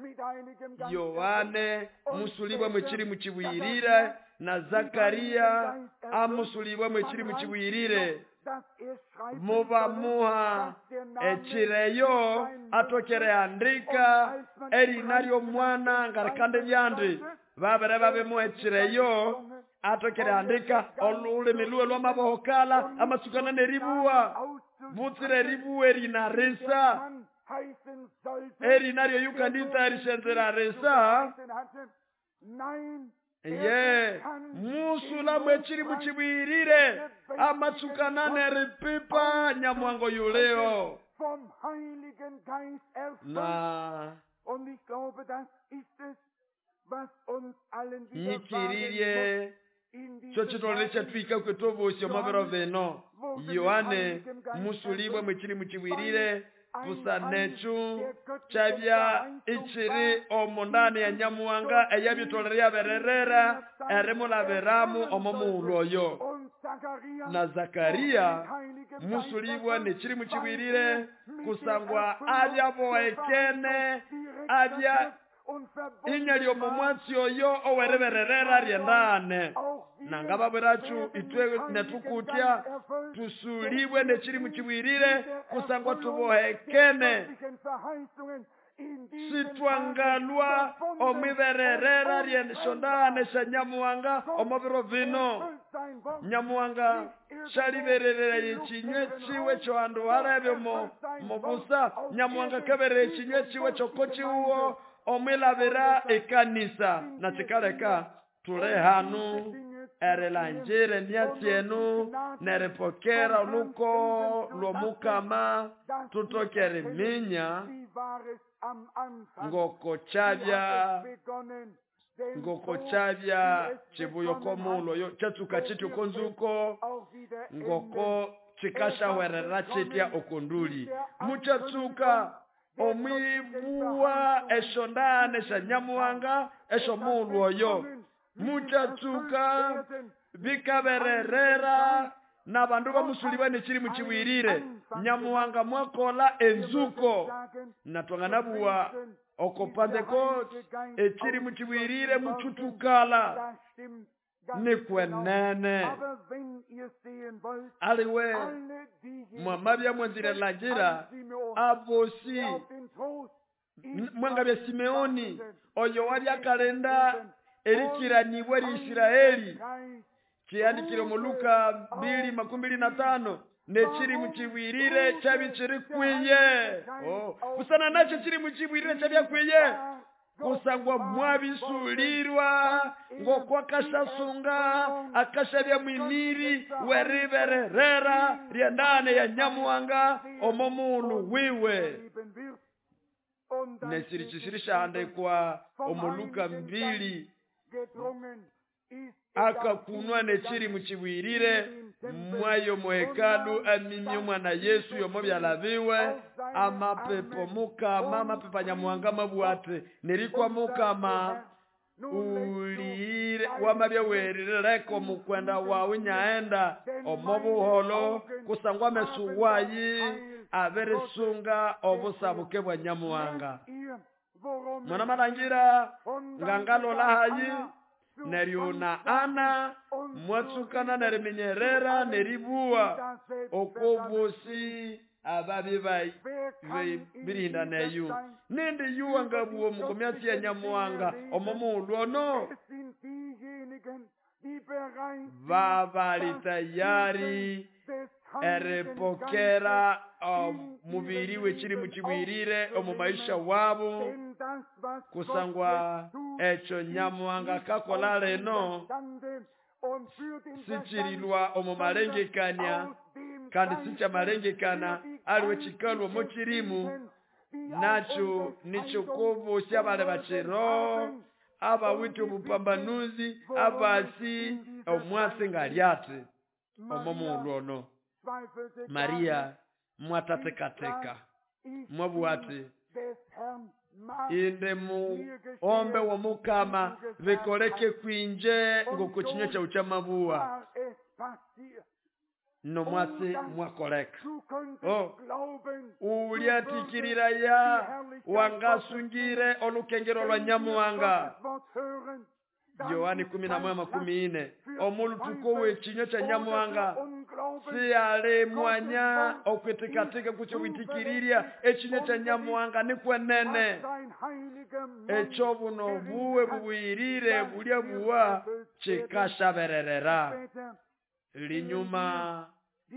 S2: Yohane musulibwa mwechiri muchibwirire na Zakaria amusulibwa mwechiri muchibwirire. Mubamuha echireyo atokere andika erinaryo mwana ngarikande byandi babere babemuha echireyo atokere andika olulimi luwe lwamabohokala amasukana neribuwa butsire ribuwe erinarisa erinaryo yukandita erishenzera risa. Ye musula mwechiri muchibwirire amatsukana neripipa Nyamuhango yuleo. Na nyikiririe cho chitolere chatwika kwetobosi omabero beno. Yohane musulibwe mwechiri muchibwirire Busana ekyo kyabya ichiri omundani ya Nyamuhanga eyabyetolere yabererera erimulabiramu omo mughulhu oyo. Na Zakaria musulibwa n'ekirimu kibwirire kusangwa abyabohekene abya inyali omo mwatsi oyo oweribererera ryendane. Nangababwiracu itwe netukutya tusulibwe n'ekirimu kibwirire kusangwa tubohekene sitwangalwa omwibererera ryeshondane sya Nyamuhanga omo biro bino. Nyamuhanga syalibererera ekinywe kiwe kyohandu halebe mubusa. Nyamuhanga kaberera ekinywe kiwe kyoko kiwuwo omwilabira ekanisa. Na kikaleka tule hanu erilangira emyatsi enu neripokera oluko lw'omukama tutoke eriminya ngoko kyabya kibuya okomughulhu oyo kyatsuka kitya okonzuko ngoko kikashahwerera kitya okonduli. Mukyatsuka omwibuwa eshondane sya Nyamuhanga esyomughulhu oyo. Mukyatsuka bikabererera n'abandu bamusulibwa n'ekirimu kibwirire. Nyamuhanga mwakola enzuko natwanganabuwa oko Pentecost ekirimu kibwirire mukyutukala nikwenene. Aliwe mwamabya mwanzire langira abosi mwangabya Simeoni oyo wabyakalinda erikiranibwa eri Isiraeli kiandikire mu Luka 2:25 n'ekirimu kibwirire kyabikiri kwiye. Busana nakyo kirimu kibwirire kyabyakwiye kusangwa mwabisulirwa ngokwakashasunga akashabya mwimiri weribererera ryendane ya Nyamuhanga omo mughulhu wiwe. Nesiri kisiri syahandikwa omu Luka 2 akakunwa n'ekirimu kibwirire mwayo muhekalu amimye omwana Yesu yomo byalabiwe amapepo mukama amapepo Nyamuhanga mabwate nerikwa mukama ulire wamabya werireko mukwenda wawe nyaenda omo buholo kusangwa amesu wayi abirisunga obusabuke bwa Nyamuhanga. Mwana malangira ngangalola hayi neryo na Ana mwatsukana neriminyerera neribuwa okobosi ababi birinda neyu nindi yuwa ngabuwa mukomyatsi ya Nyamuhanga omo mughulhu ono babali tayari eripokera omubiri w'ekirimu kibwirire omu maisha wabo kusangwa ekyo Nyamuhanga akakola lino sikirilwa omu malengekania kandi sikyamalengekana aliwe kikalwa omu kirimu nakyo nikyokobosya bali bakiro abawithe obupambanuzi abasi omwatsi ngalyati omo mughulhu ono. Maria mwatatekateka mwabugha ati indi muombe w'omukama bikoleke kwinje ngoko kinywa kyawu kyamabuwa nomwatsi mwakoleka. Ulyatikirira wangasungire olukengero lwa Nyamuhanga. Yohani 11:14 omulutuko w'ekinywa kya Nyamuhanga siyali mwanya okwitikatika kutyo witikirirya ekinywa kya Nyamuhanga nikwenene ekyo buno buwe bubwirire bulya buwa kikashabererera. Linyuma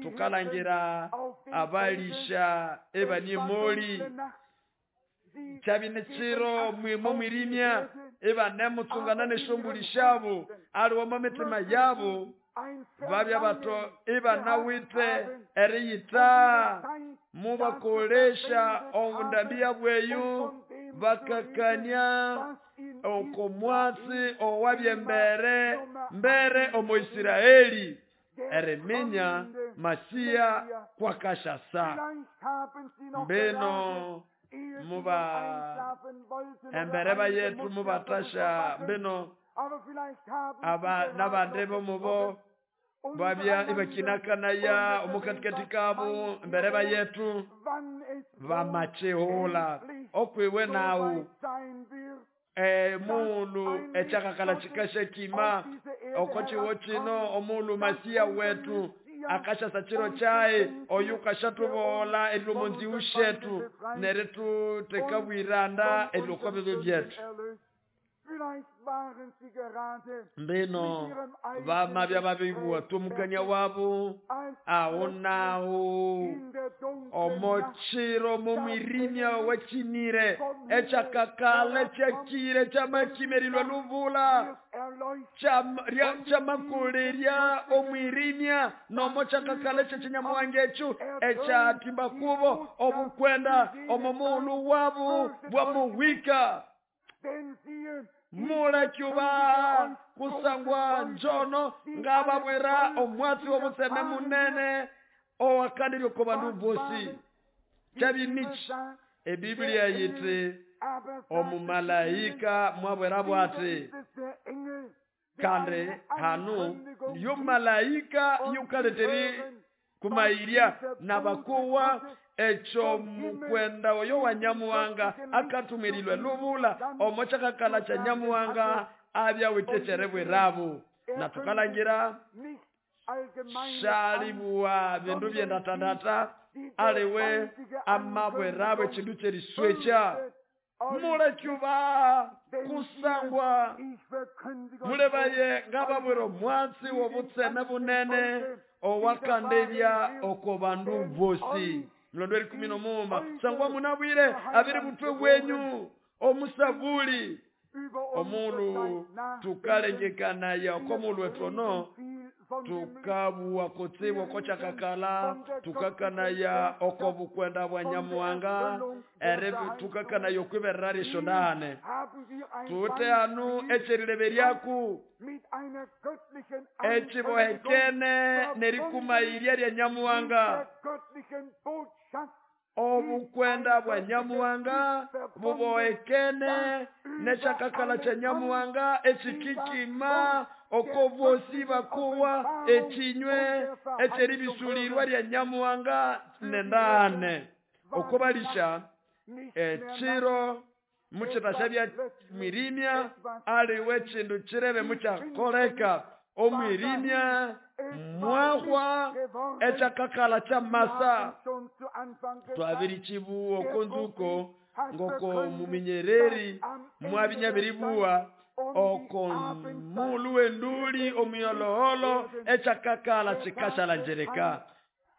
S2: tukalangira abalisha ebanyimoli kyabine kiro mwimo mwirimya ebanemutsungana n'eshombuli shabo aliwo mitima yabo babya bato ebanawite eriyita mubakolesha obundambi bweyu bakakania okomwatsi owabyembere mbere omu Isiraeli eriminya Masiya kwakashasa. Mbino muba embere yetu mubatasha mbino aba nabande bomubo babya ibakinakanaya omukatikati kabo embere yetu bamachihula okwiwe nawu mulu echakakala chikasha kima okochiwo chino omulu Masiya wetu akashasa chiro chae oyu kashatubola erilomonzi ushetu neretu tekabwiranda erilokwa byetu. Mbino vamabya babibwa tumukania wabo awo nawo omochiro mumwirimya wechinire echakakala chakire chamakimerilwa luvula chamakulerya omwirimya nomo chakakala chechinyamuwange echu echatimba kubo obukwenda omomulu wabo bwamuwika. Mulakyuba kusangwa njono ngababwira omwatsi w'obutseme munene owakandirye oko bandu bosi. Kyabimichi ebiblia yiti omumalaika mwabwera bwati kandi hanu yo malaika yukaleteri kumairya nabakuwa echo mukwenda oyo wa Nyamuwanga akatumirilwe lubula omo chakakala cha Nyamuwanga abya witechere bwerabu. Na tukalangira shalibuwa bindu byendatandata aliwe amabwerabu echindu cheriswecha. Mulekyuba kusangwa mulebaye ngababwera omwatsi w'obutseme bunene owakandebya oko bandu bosi. Mlondo 15 sangwa munabwire abiri butwe bwenyu omusabuli omulu tukalengekanaya okomulu wetono tukabuwa kutsibu kochakakala tukakanaya okobukwenda bwa Nyamuwanga ere tukakanaya okwiberera rishondane tute anu echerileberyaku echibohekene nerikumairya rya Nyamuwanga. Obukwenda bwa Nyamuwanga bubohekene nechakakala cha Nyamuwanga echikikima okobosi bakuwa echinywe echeribisulirwa rya Nyamuwanga nendane okobalisha echiro muchitasha bya mwirimya aliwe chindu chirebe muchakoleka omwirimya mwahwa echakakala cha masa. Twabiri chibuo konzuko ngoko muminyereri mwabinyabiribuwa oko mulu wenduli omuyoloholo echakakala chikashala njereka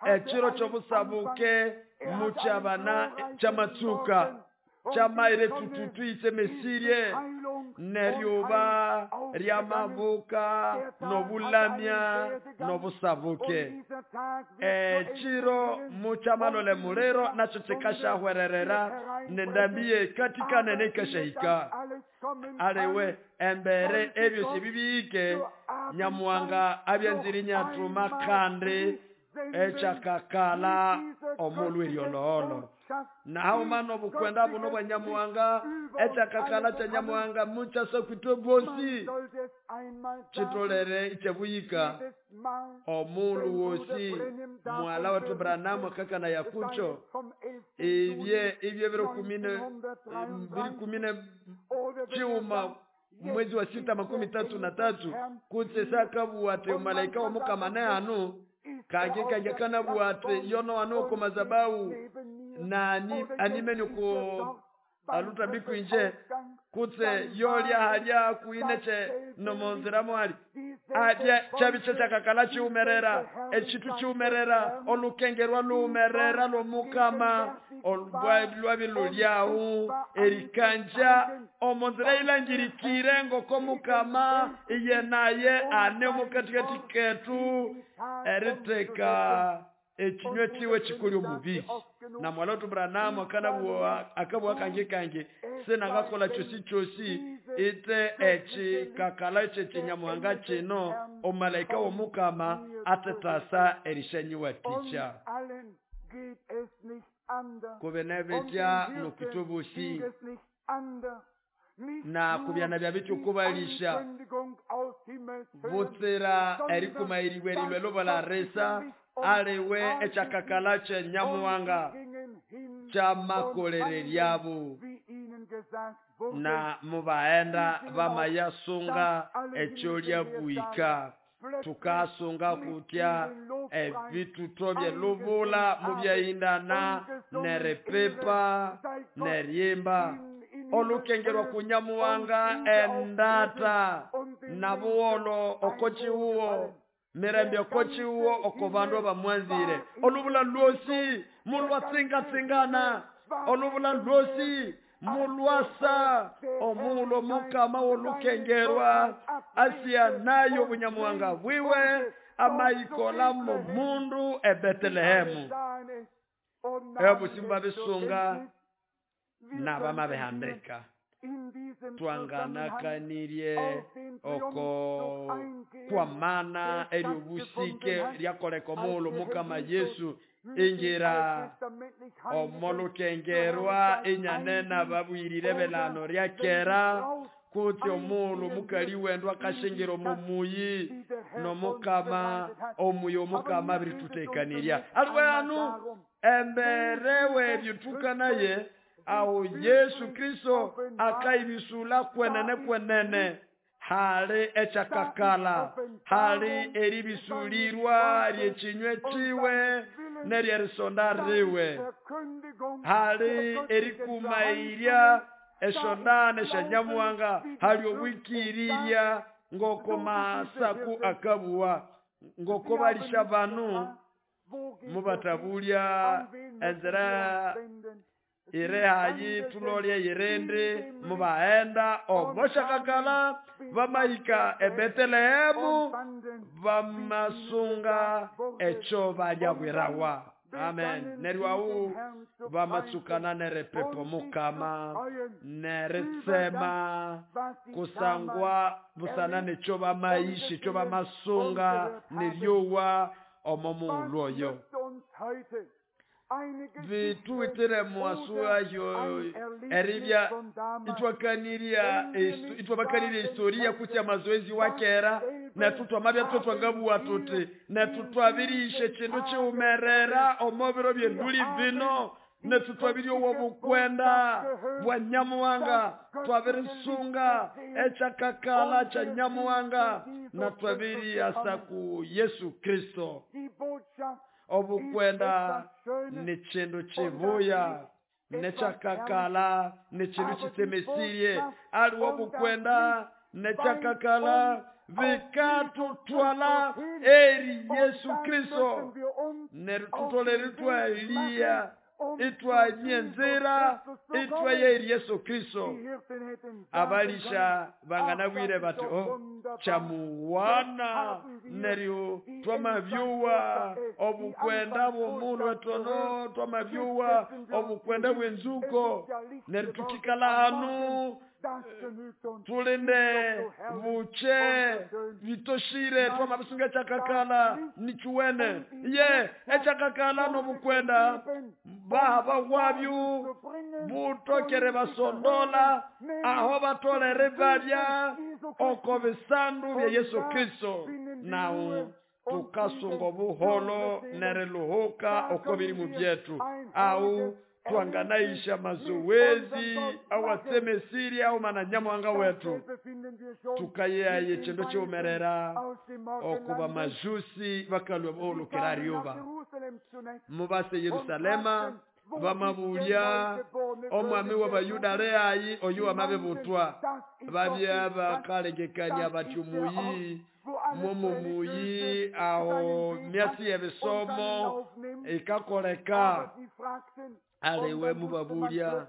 S2: echiro chobusabuke muchabana chamatsuka chamaire tututu isemesirie neryuba ryamabuka nobulamya nobusabuke echiro muchamalole mulero nacho chikashahwererera nendambiye katika nene ikashahika aliwe embere ebyo sibibike Nyamuwanga abyanziri nyatuma kandi echakakala omulu eryoloholo. Naho mano bukwenda buno bwa Nyamuwanga echakakala cha Nyamuwanga muchaso kwitwe bosi chitolere ichebuyika omulu wosi mwala watu Branamu kakana yakucho ibye ibye biro 12 chiuma mwezi wa 6 33 kutse sakabuwate malaika wa mukama anu kage kage kana buwate yono ano ko mazabau na animeni ko aluta bikwinje kutse yolya halya kuineche nomonziramo ali adya chabiche chakakala chiumerera echitu chiumerera olukengerwa luumerera lomukama olwabilulyahu erikanja omonzira ilangirikire ngoko mukama iye naye ane omukatikati ketu eriteka ekinywe kiwe kikuli omubi. Na mwalotu Branham akanabua akabua kangi kangi sinangakola chosi chosi ite echi kakala chechi nyamuhanga chino omalaika w'omukama atetasa erishanyiwa ticha. Kubenebetya nokutobosi na kubyana bya bityo kubalisha butsira erikumairiwe rilwelo balaresa aliwe echakakala che nyamuhanga chamakolere lyabo na mubaenda bamayasunga echo lyabuika tukasunga kutya ebituto byelubula mubyaindana nerepepa neryimba olukengerwa kunyamuhanga endata nabuwolo okochiuwo mirembe okochiuwo oko bandu abamwanzire olubula lwosi mulwatsingatsingana olubula lwosi mulwasa omulo mukama wolukengerwa asia nayo bunyamuhanga bwiwe amaikola mu mundu eBethlehemu ebusimba bisunga nabamabehandika twanganakanirye oko kwa mana eryobusike lyakoleka omulo mukama Yesu ingira omolukengerwa inyanena babwirire belano ryakera kuti omulo mukali wendwa akashingira omumuyi nomukama omuyi omukama abiritutekanirya aliwe anu emberewe ebyotukanaye awo Yesu Kristo akaibisula kwenene kwenene hali echakakala hali eribisulirwa ryechinywe chiwe neryerisonda riwe hali erikumairya eshondane shanyamuhanga hali obwikirirya ngoko masaku akabuwa ngoko balisha banu mubatabulya enzira irehayi tulolye irindi mubaenda omoshakakala bamaika eBethlehemu bamasunga echo balyabwirawa. Amen. Neryo bamatsukana nerepepo mukama neretsema kusangwa busana necho bamaishi cho bamasunga neryowa omo oyo vituitire mwasua yo eribya itwakaniria itwabakaniria historia kutya mazoezi wakera na tutwamabya tutwangabuwa tuti na tutwabirishe chindu chiumerera omobiro byenduli vino na tutwabiri obukwenda bwa nyamuhanga twabirisunga echakakala cha nyamuhanga na twabiri asa ku Yesu Kristo. Obukwenda ni chindu chibuya nechakakala ni chindu chitemesirie aliwo obukwenda nechakakala vikatutwala eri Yesu Kristo nerututolere twalia itwa nyenzera itwa eri Yesu Kristo. Abalisha banganabwire bati oh chamuwana neryo twamavyuwa obukwenda bw'omundu etono twamavyuwa obukwenda bw'enzuko neryo tukikala hanu tulinde buche bitoshire twamabisunga chakakala nichuwene ye echakakala nobukwenda bahaba wabyu butokere basondola aho batolere babya oko bisandu bya Yesu Kristo nawo tukasunga buholo nereluhuka oko birimu byetu au twanganaisha mazoezi au atemesiri au mananyamuhanga wetu tukayeaye chindu chiumerera okuba majusi bakalwa olukera ryuba mubase Yerusalema bamabulya omwami w'abayuda reayi oyu amabebutwa babya bakalengekanya bati omuyi mwomo muyi aho myasi y'ebisomo ikakoleka aliwe mubabulya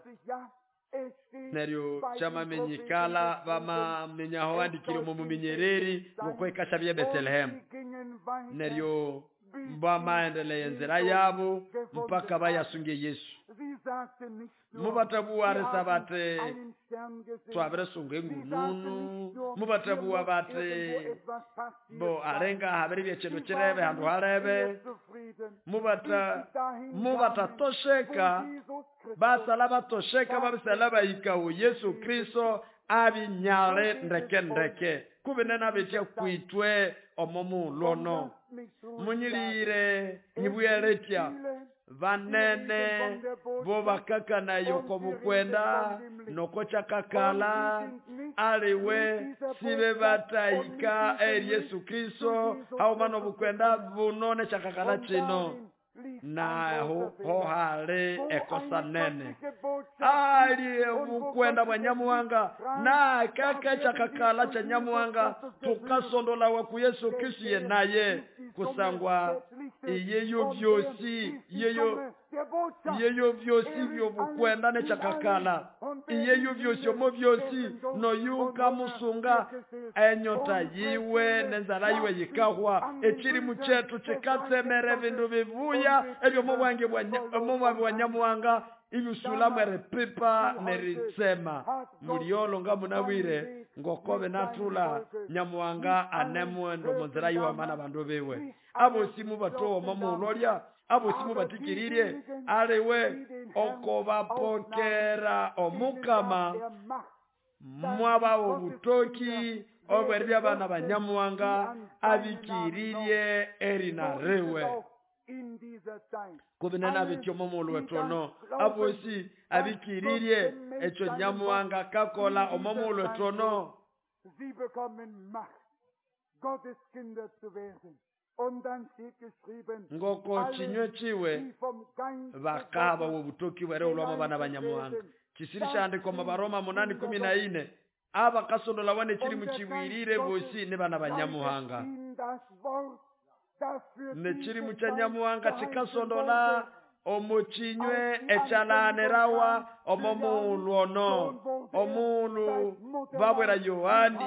S2: neryo chamamenyikala bamamenyaho andikire omu muminyereri ngokwekasha bya Bethlehemu neryo Bamaendelea enzira yabo mpaka bayasunge Yesu. Mubatabuwa bati twabiresunga engununu, mubatabuwa bati bo alenga habiri byekindu kirebe handu halebe, mubatatosheka basala batosheka babisala bahikawo Yesu Kristo abinyale ndeke ndeke kubinena bitya kwitwe omo mulono munyilire nyibweletya vanene bo bakakanayo kobukwenda noko kyakakala aliwe sibe batahika eri Yesu Kristo hauma nobukwenda buno nekyakakala kino naho hohali ekosa nene ali obukwenda bwa Nyamuhanga na kaka kyakakala kya Nyamuhanga tukasondolawa ku Yesu Kristo ye naye kusangwa iyeyo byosi iyeyo byosi byobukwenda nekyakakala iyeyo byosi omo byosi noyuka musunga enyota yiwe nenzala yiwe yikahwa ekirimu kyetu kikatsemera ebindu bibuya ebyo mubwange bwa Nyamuhanga ibisulamu eripipa neritsema muliolo nga munabwire ngokobe natula Nyamuhanga anemwendo munzira yiwe amana bandu biwe abosi mubatowa mamulolya abosi mubatikiririe aliwe okobapokera omukama mwaba obutoki obweribya abana ba Nyamuhanga abikiririe erina riwe kubinena bityo momulu wetono abosi abikiririe ekyo Nyamuhanga kakola omomulu wetono.
S1: Sie bekommen Macht, Gottes Kinder zu werden. Und dann steht geschrieben,
S2: ngoko chinywe chiwe bakaba obutoki bwere olwamo bana ba Nyamuhanga. Kisirishandiko mu Baroma 8:14 abakasondola wane kiri mukiwirire bosi ne bana ba Nyamuhanga. Nekirimu kya Nyamuhanga kikasondola omukinywe ekyalanerawa omomulu ono omulu babwera Yohani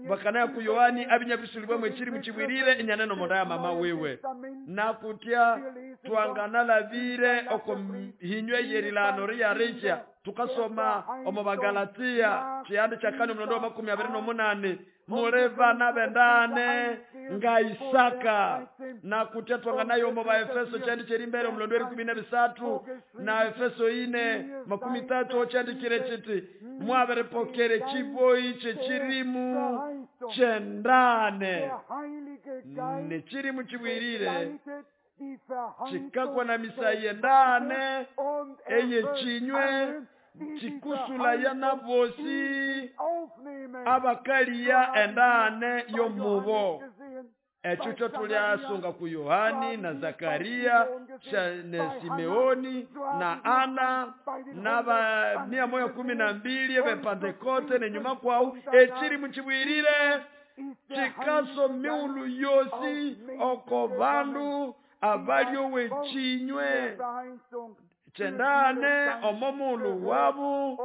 S2: bakanaya ku Yohani abinyabisulibwa mwekiri mukiwirire enyaneno monda ya mama wewe nakutya twanganalabire oko hinywe yerilano riyarisha tukasoma omu Bagalatia kyandi kya kane omulondo wa 28 muli bana bendane nga Isaka nakutya twanganayo omu Baefeso kyandi kyerimbere omulondo wa 13 na Efeso 4:30 kyandikire kiti mwabiripokere kiboyi kyekirimu kyendane nekirimu kibwirire kikakwa na misayi endane eyekinywe kikusulaya nabosi abakaliya endane yomubo. Ekyo kyo tulyasunga ku Yohani na Zakaria ne Simeoni na Ana na ba 112 bepantekote nenyuma kwawu ekiri mukibwirire kikaso miulu yosi oko bandu abalyo wekinywe kyendane omomulu wabu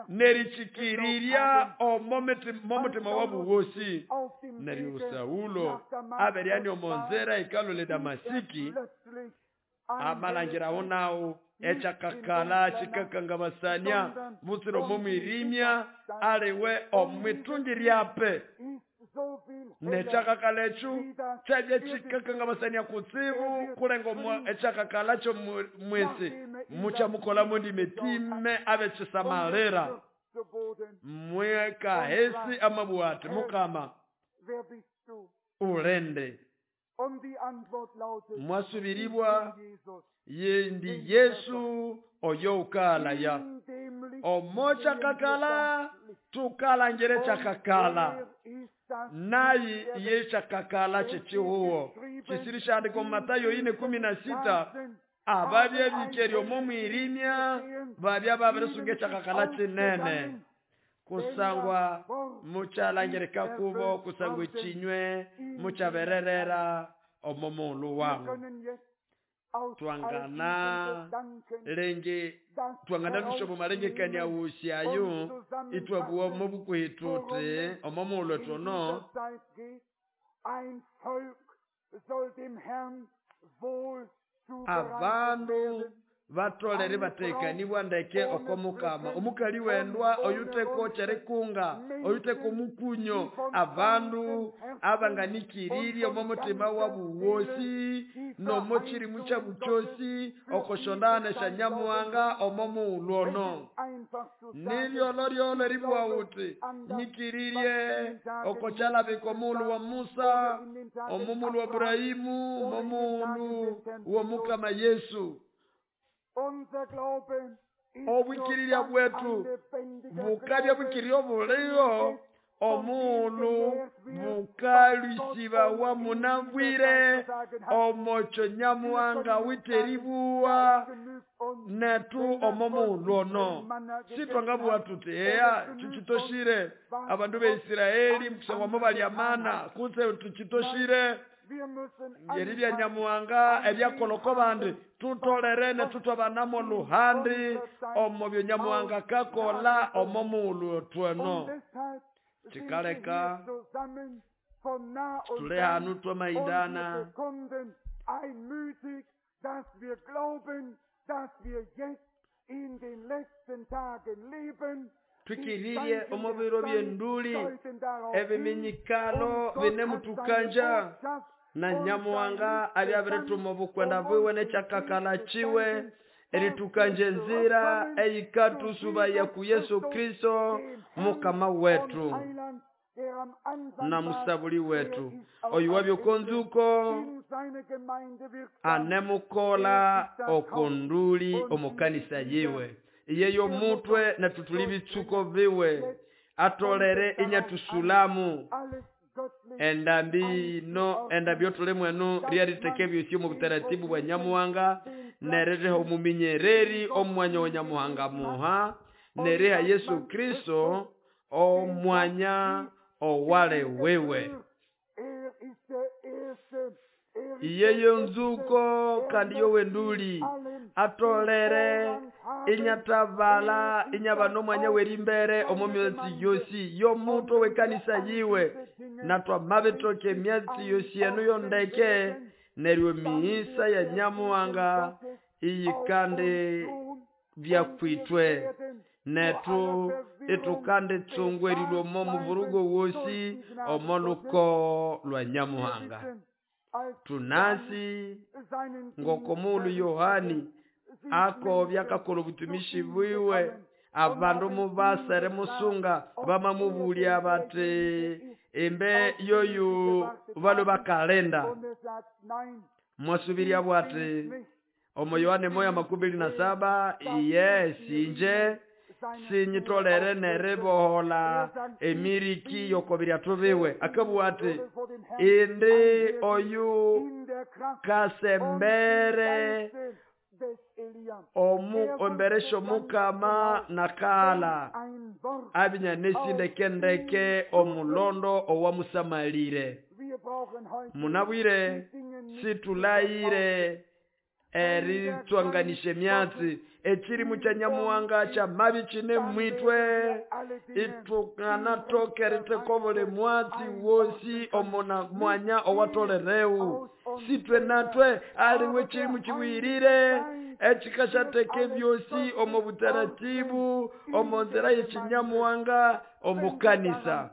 S2: nerikyikirirya omomutima wabu wosi. Neryo Saulo aberyani omonzera ikalole Damasiki amalangirawo nawo ekyakakala kikakangabasania butsira omomwirimya aliwe omwitungi ryape nekyakakala ekyo kyabya kikakangabasania kutsibu kulenga ekyakakala kyo mwesi mukyamukolamo ndimetime abekisamalira mwekahesi amabwa ati Mukama ulende. Mwasubiribwa yendi Yesu oyo ukalaya omo kyakakala tukalangire kyakakala nayi ye kyakakala kyekihuwo kisirishandiko Matayo 4:16 ababya bikeri omo mwirimya babya babirisunga ekyakakala kinene kusangwa mukyalangirika kubo kusangwa ekinywe mukyabererera omo mulu wangu. Twangana lenge twangana lushobo malengekania wusyayo itwabuwa omo bukuhitute omo muulu tono
S1: Ein Volk soll dem Herrn wohl
S2: Abandu
S1: zubereitet werden.
S2: Batolere batekanibwa ndeke oko mukama omukali wendwa oyuteko kyerikunga oyuteko omukunyo abandu abanganikiririe omo mutima wabu wosi nomo kyirimu kyabu kyosi okosyondana esyanyamuhanga omo mughulhu ono. Nibyolholyolho eribugha ghuthi nyikiririe oko kyalabika omughulhu wa Musa, omo mughulhu wa Ibrahimu, omo mughulhu w'omukama Yesu. Obwikirirya bwetu bukabya bwikirya obuliho omughulhu bukalwisibawa munabwire omokyo Nyamuhanga awithe eribugha nethu omo mughulhu ono. Sithwangabugha thuthi eya kyikitoshire abandu be Isiraeli kusangwa mobalya mana kutse tukitoshire eribya Nyamuhanga ebyakolha oko bandi tutolere nethu thwabanamo oluhandi omo byo Nyamuhanga akakolha omo mughulhu wethu eno. Kikaleka thuli hanu twamahindana twikiririe omo biro by'enduli ebiminyikalo binemuthukanja na Nyamuhanga abyabirithuma obukwenda bwiwe n'ekyakakala kiwe erithukanja enzira eyikathusubaya ku Yesu Kristo mukama wetu na musabuli wetu. Oyu wabya okonzuko anemukola okonduli omukanisa yiwe iye y'omutwe nethu thuli bitsuko biwe atolere inyathusulamu endambi ino endambi yothuli mwenu ryeritheka ebyosi omu butaratibu bwa Nyamuhanga neriha omuminyereri omwanya wa Nyamuhanga muha neriha Yesu Kristo omwanya owale wewe. Iye yonzuko kandi yowenduli atolere inyatabala inyaba n'omwanya w'erimbere omo myatsi yosi y'omutwe w'ekanisa yiwe natwamabitoka emyatsi yosi eno yondeke neryo emihisa ya Nyamuhanga iyikandi byakwitwe nethu ithukandi tsungwerirwe omo muvurugo wosi omo luko lwa Nyamuhanga. Tunasi ngoko mughulhu Yohani akobya akakolha obutumishi bwiwe abandu mubasere musunga bamamubulya bati embe yoyu balwe bakalinda. Mwasubirya bwati omo Yohane 1:27 iye sinje sinyitolere neribohola emiriki yokobiryathu biwe. Akabugha ati indi oyu kasembere omu embere syomukama nakala abinya ndeke omulondo owamusamalire. Munabwire situlayire eritswanganisha emyatsi ekirimu kya Nyamuhanga kyamabi kine mwitwe ithukanatoka eritheka obuli mwatsi wosi omuna mwanya owatolereu. Sitwe natwe aliwe ekirimu kibwirire ekikasyatheka ebyosi omu butaratibu omu nzira y'ekinyamuhanga omu kanisa.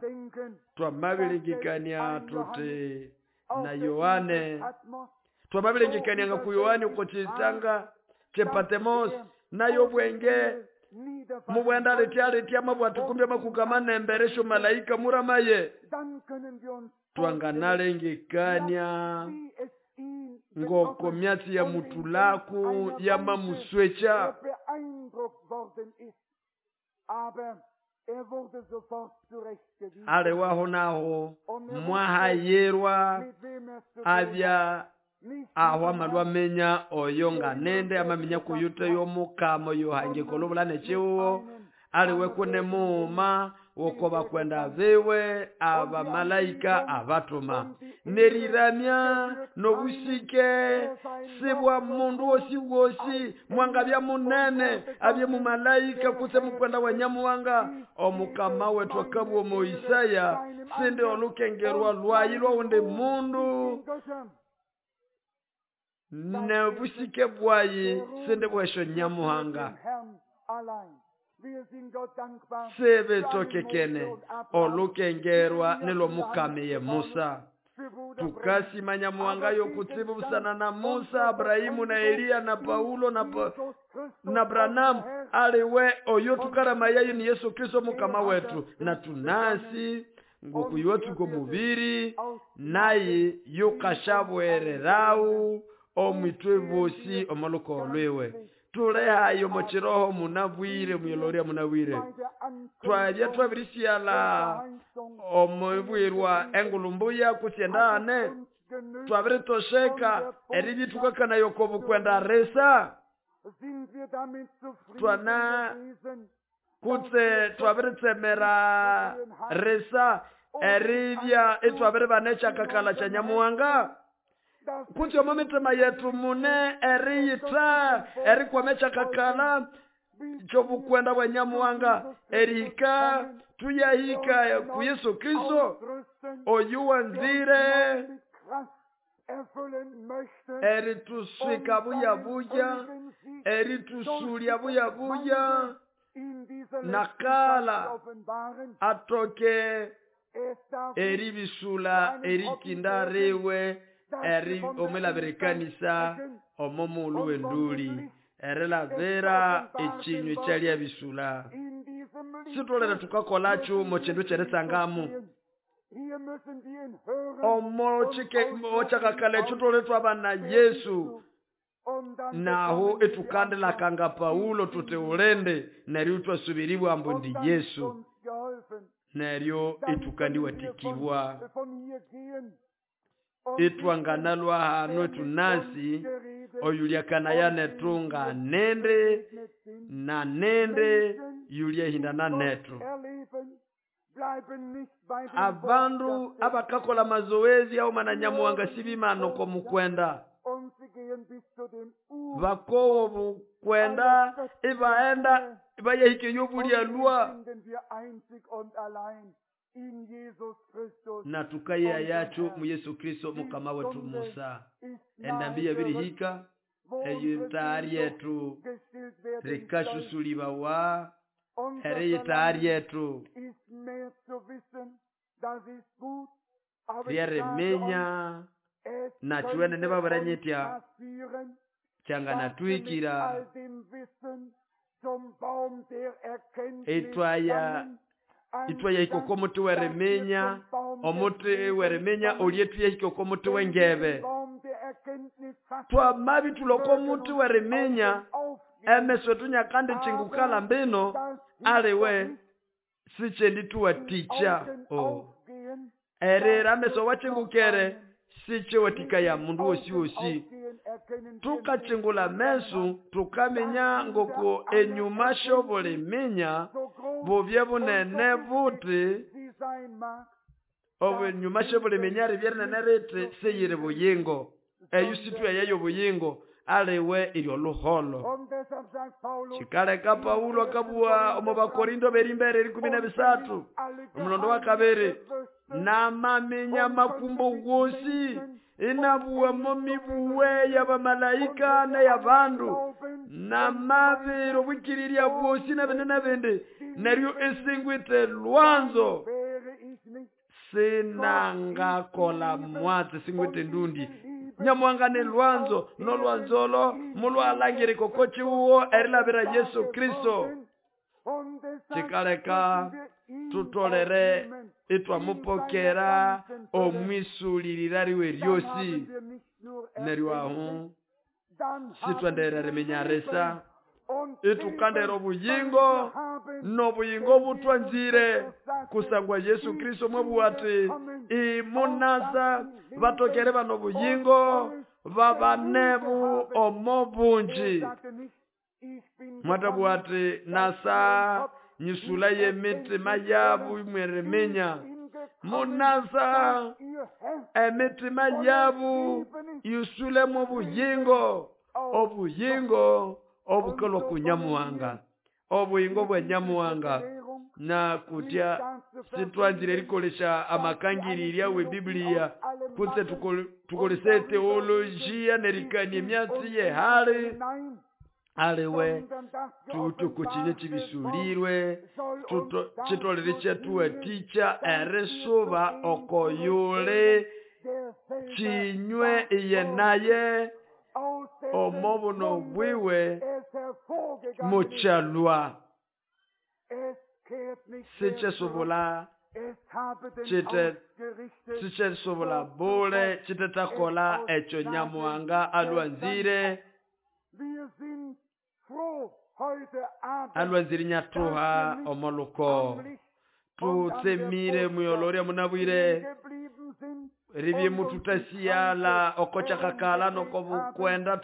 S2: Twamabiringikania tuti na Yohane twamabiringikania nga ku Yohane uko kyitanga ky'Epatemos nayo obwenge mubwenda letya letya mabwati kumbe makukama nembere syo malaika muramaye. Twanganalengekania ngoko myatsi ya mutulaku yamamuswecha. Alewaho naho mwahayirwa abya aho amalwa amenya oyo nga nende amaminya kuyute y'omukama oyo hangiko olubulana ekiwuwo aliwe kune muuma woko bakwenda biwe abamalaika abatuma. Neriramya nobusike sibwa mundu wosi wosi mwangabya munene abye mumalaika kutse mukwenda wa Nyamuhanga. Omukama wetu akabwa omo Isaya sindi olukengerwa lwayi lwawundi mundu nebusike bwayi sindi bwesho Nyamuhanga. Sebetokekene olukengerwa nilo mukamiye Musa. Tukasima Nyamuhanga yokutsibu busana na Musa, Abrahimu na Eliya na Paulo na Branamu aliwe oyo tukarama yayo ni Yesu Kristo mukama wetu. Na tunasi ngokuyotsuko mubiri naye yukashabwererau omwitwe bosi omoluko lwewe. Tulehayo mochiroho munabwire muyeloria munabwire. Twabya twabirisiala omubwirwa engulumbuya kusyendane. Twabiritosheka eribyitukakana yokobukwenda resa. Twana kutse twabiritsemera resa eribya etwabiribanecha kakala cha Nyamuhanga. Kutse omo mitima yetu mune eriyita erikwamecha kakala kyobukwenda bwa Nyamuhanga erihika tuyahika ku Yesu Kristo oyu wanzire erituswika buya buya eritusulya buya buya nakala atoke eribisula erikinda riwe eri omwelabirikanisa omomulu wenduli erilavera echinywe kyalya bisula. Sitolera tukakolacho mochindu cheresangamu omo chike ochakakala chitole twabana Yesu naho etukandilakanga Paulo tute ulende neryo twasubiribwa ambu ndi Yesu neryo etukandiwatikibwa etwanganalwa hano etunasi oyulyakana yanetunga nende na nende yulyahindana netu. Abandu abakakola mazoezi au mananyamuhanga sibimano ko mukwenda bakowo bukwenda ibaenda ibayahike yobulya lwa na tukaya yacho mu Yesu Kristo mukama wetu Musa. Endambi yabirihika eyitaari yetu rikashusulibawa ereyitaari yetu ryeriminya na chiwene nebabaranyitya changanatwikira etwaya itwaya ikoko muti weriminya omuti weriminya olyetuya ikoko muti wengebe twamabi tuloko muti weriminya emeso tunyakandi chingukala mbino aliwe sichendi tuwaticha o erera ameso wachingukere sichewatika ya mundu wosi wosi. Tukachingula mesu tukamenya ngoko enyuma shoboliminya bubye bunene buti obunyuma shoboliminya ribyernene riti seyiri buyingo eyusitwe yeyo buyingo aliwe iryo luholo. Chikaleka Paulo akabua omu Bakorindo berimbere 13 omulondo wa kabiri namaminya makumbo gosi inabuwa momibuwe y'abamalaika n'ey'abandu namabiro bwikiriria bwosi n'abindi n'abindi neryo esingwite lwanzo sinangakola mwatsi singwite ndundi Nyamuhanga ni lwanzo nolwanzolo mulwalangiri kokochiuwo erilabira Yesu Kristo. Chikaleka tutolere itwamupokera omwisulirira riwe ryosi neryo aho sitwenderera riminyarisa itukandera obuyingo nobuyingo butwanzire kusangwa Yesu Kristo mwebuwati imunasa batokere bano buyingo babanebu omo bunji. Mwatabwati nasa Nyisula y'emitima yabo imweriminya. Munasa emitima yabo yusulemo obuyingo, obuyingo obukalwa ku Nyamuhanga, obuyingo bwa Nyamuhanga. Na kutya sitwanzire erikolesha amakangirira we Biblia kutse tukolese teolojia nerikania emyatsi yehali aliwe tutukukinye kibisulirwe kitolere kyatuwatikya erisuba okoyule kinywe iye naye omobuno bwiwe mukyalwa sikyesobola sikyesobola bule kitetakola ekyo Nyamuhanga alwanzire alwanzire nyatuha omoluko. Tutsemire muyolorya munabwire ribye mututasiyala okochakakala nokobukwenda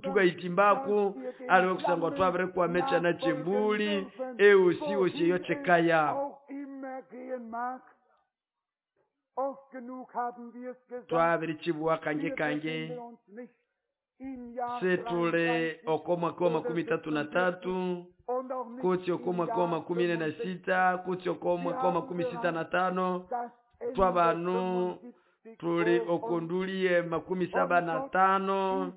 S2: tukaitimbaku aliwe kusangwa twabire kwamecha na chembuli eusi osi yo chekaya. Twabire chibwa kange kange setule oko mwaka wa 33 kutsi oko mwaka wa 46 kutsi oko mwaka wa 65 twabanu tuli okondulie 75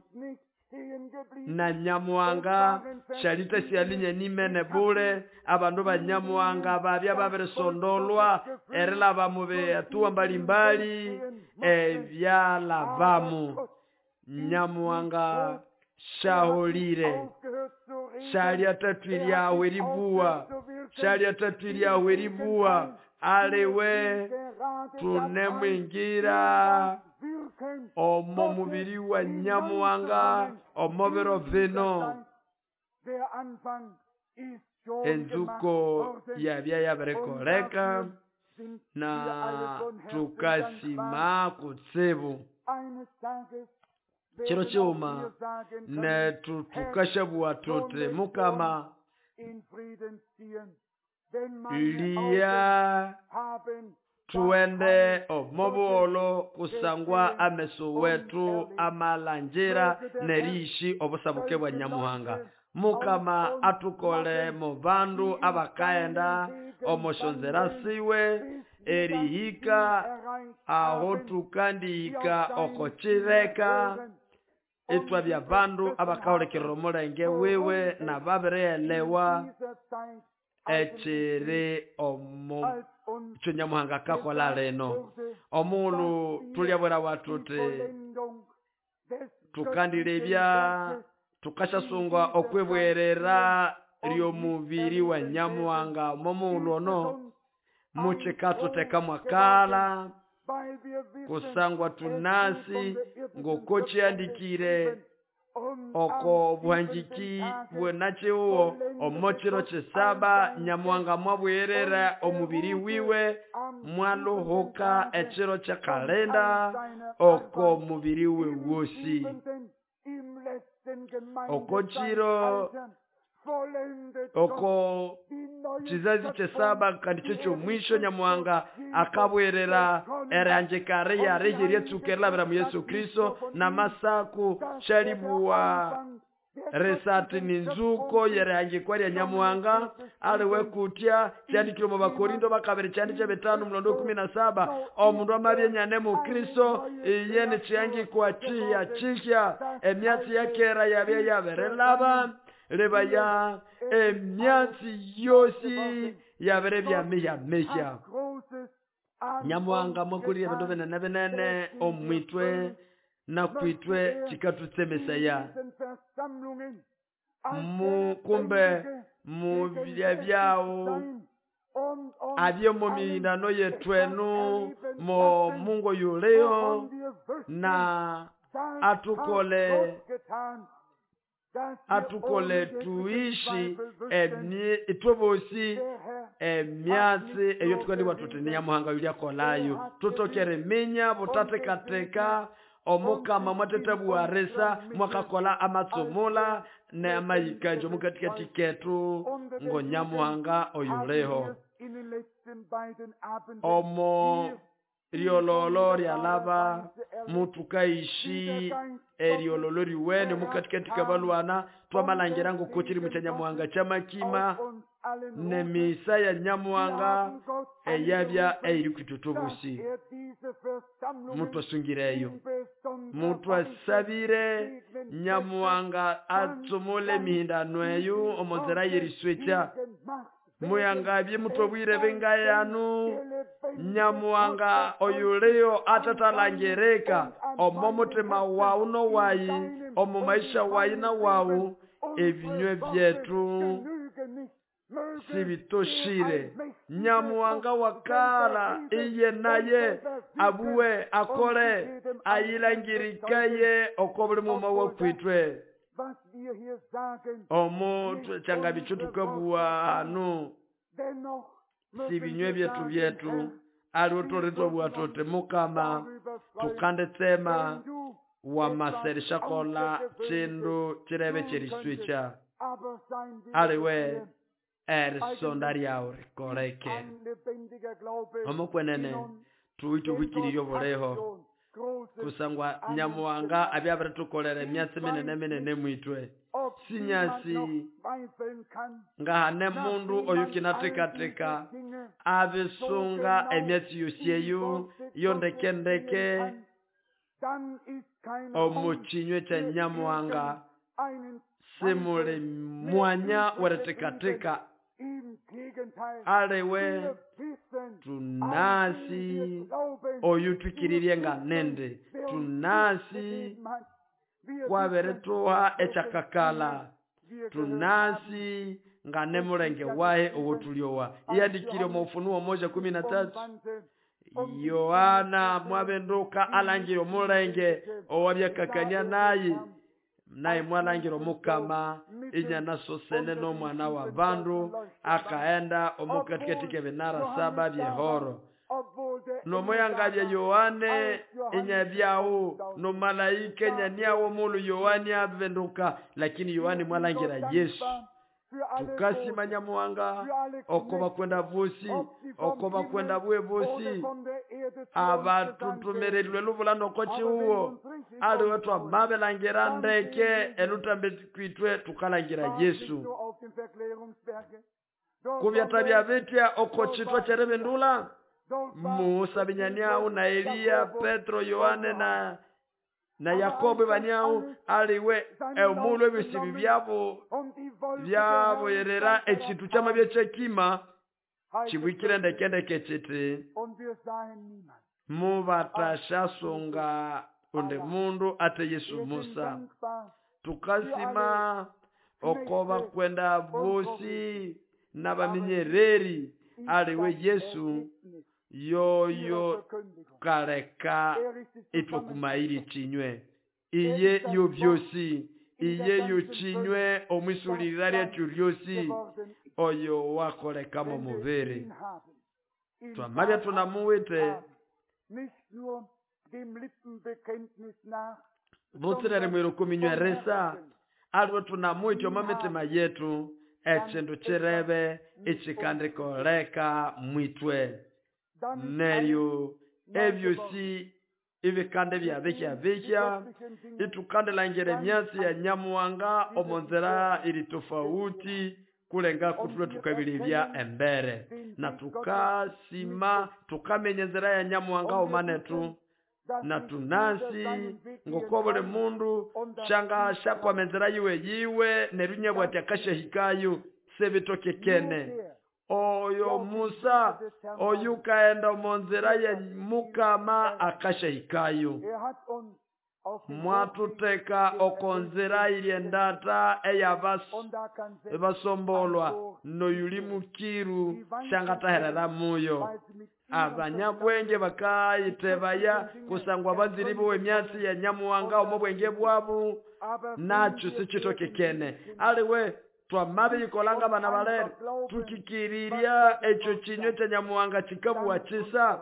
S2: na Nyamuhanga shalita sialinya nimene bule abandu ba Nyamuhanga babya babirisondolwa erilaba mube atuwa mbalimbali ebyalabamu. Nyamuhanga shaholire shalia tatwilyawe ribuwa shalia tatwilyawe ribuwa aliwe tunemwingira omo mubiri wa Nyamuhanga omo biro bino. Enzuko yabya yabirekoleka na tukasima kutsibu chiro chiuma netu tukashabua tuti Mukama liya tuende omobuholo kusangwa ameso wetu amalanjira neriishi obusabuke bwa Nyamuhanga. Mukama atukole mu bandu abakaenda omoshonzera siwe erihika aho tukandihika okochireka itwa bya bandu abakahulikirira omulenge wiwe na babirielewa ekiri omu kyo Nyamuhanga kakola lino. Omulu tulyabwera watuti tukandilebya tukashasungwa okwibwerera ly'omubiri wa Nyamuhanga momulu ono muchikatuteka mwakala kusangwa tunasi ngoko chiandikire oko buhanjiki bwenachiuwo omochiro chisaba Nyamuhanga mwabwerera omubiri wiwe mwaluhuka echiro cha kalenda oko mubiri we wosi oko chiro oko chizazi chesaba kandi chicho mwisho Nyamuhanga akabwerera eranjekare yarejerie tsukerla mu Yesu Kristo na masaku shalibwa resati ninzuko yerangikwa lya Nyamuhanga aliwe kutya kyandikire mu Bakorindo bakabiri kyandi kya 5 mulondo 17 omundu amabye nyane mu Kristo iye ni kyangikwa chiya chikya emyatsi yakera yabye yaberelaba lebaya emyatsi yosi yabere bya mihya mihya. Nyamuhanga mwakulire bindu binene binene omwitwe na kwitwe chikatutsemesaya mukumbe mubya byawo abye mu mindano yetwenu mo mungo yuleo na atukole atukole tuishi itwe bosi emyatsi eyo tukandibwa tuti ni Nyamuhanga yulyakolayo tutokere minya butatekateka Omukama mwatethabugha risa mwakakola amatsumula n'amayĩkanjo mukatikati ketu ngo Nyamuhanga oyuliho. Omo lyololo lyalaba mutukaishi eryololo lyuwene mukatikati kabalwana twamalangira ngoko kiri kya Nyamuhanga kyamakima nemisa ya Nyamuhanga eyabya eyiri kwithu mutwasungireyo mutwasabire Nyamuhanga atsumule emihindano eyo omonzera yeriswekya muyangabye mutwabwire bengayanu Nyamuhanga oyuliyo atatalangirika omo mutima wawu nowayi omo maisha wayi na wawu ebinywe byetu sibitoshire. Nyamuhanga wakala iye naye abuwe akole ayilangirikaye oko buli muma wakwitwe. Omo kyangabikyo tukabuwa hanu sibinywe byetu byetu aliwo twolitwabugha tuti Mukama tukanditsema wamaserishakola kindu kirebe kyeriswikya aliwe erisonda lyawu rikoleke. Omukwenene tuwite obwikiriri obuliho kusangwa Nyamuhanga abyabiritukolera emyatsi minene minene mwitwe. Sinyasi ngahane mundu oyukinatekateka abisunga emyatsi yosi eyo yondekendeke omu kinywe kya Nyamuhanga simuli mwanya weretekateka aliwe tunasi oyu twikiririe nga nende tunasi kwabirithuha ekyakakala tunasi nga nemulenge wahe owotulyowa. Iyandikire omu Ufunuo 1:13 Yohana mwabenduka alangire omulenge owabyakakania naye naye mwalangira Omukama inyana sosene n'omwana wa bandu akaenda omukatikati k'ebinara 7 byehoro. Nomoyangabye Yohane inyabyawo nomalaika inyaniawo mulu Yohane abenduka, lakini Yohane mwalangira Yesu. Tukasima Nyamuhanga oko bakwenda bosi oko bakwenda bwe bosi abatutumerelwe lubula noko chiuwo aliwe twamabelangira ndeke elutambe kwitwe tukalangira Yesu. Kubyatabya bitya oko chitwa kyerebendula Musa binyaniau na Eliya, Petro, Yohane na Yakobo baniau aliwe emulu ebisibi byabo byaboyerera ekintu kyamabye kyekima kibwikire ndekendeke kiti mubatashasunga undi mundu ate Yesu Musa. Tukasima oko bakwenda bosi n'abaminyereri aliwe Yesu yoyo kaleka itwe kumairi chinywe iye yo byosi iye yo chinywe omwisulirira lyathu lyosi oyo wakolekamo mubiri. Twamabya tunamuwite butsirere mwiru kuminyweresa aliwe tunamuwite omo mitima yetu ekindu kirebe ekikandikoleka mwitwe. Neryo ebyosi ebikande byabikya bikya itukandilangira emyatsi ya Nyamuhanga omonzera iri tofauti kulenga kutulwe tukabilibya embere na tukasima tukamenya enzera ya Nyamuhanga omanetu na tunasi ngoko buli mundu shanga shakwama enzera yiwe yiwe neryo nyabwati akashahikayo sebitokekene. Oyo Musa oyukaenda omonzera ya Mukama akashahikayo. Mwatuteka okonzera iliendata eyabasombolwa noyuli mukiru shangataherera muyo. Abanyabwenge bakayitebaya kusangwa banziribo emyatsi ya Nyamuhanga omo bwenge bwabu nakyo sikitokekene. Aliwe twamabiyikolanga bana balere tukikirirya ekyo kinywe kya Nyamuhanga kikabuwa kisa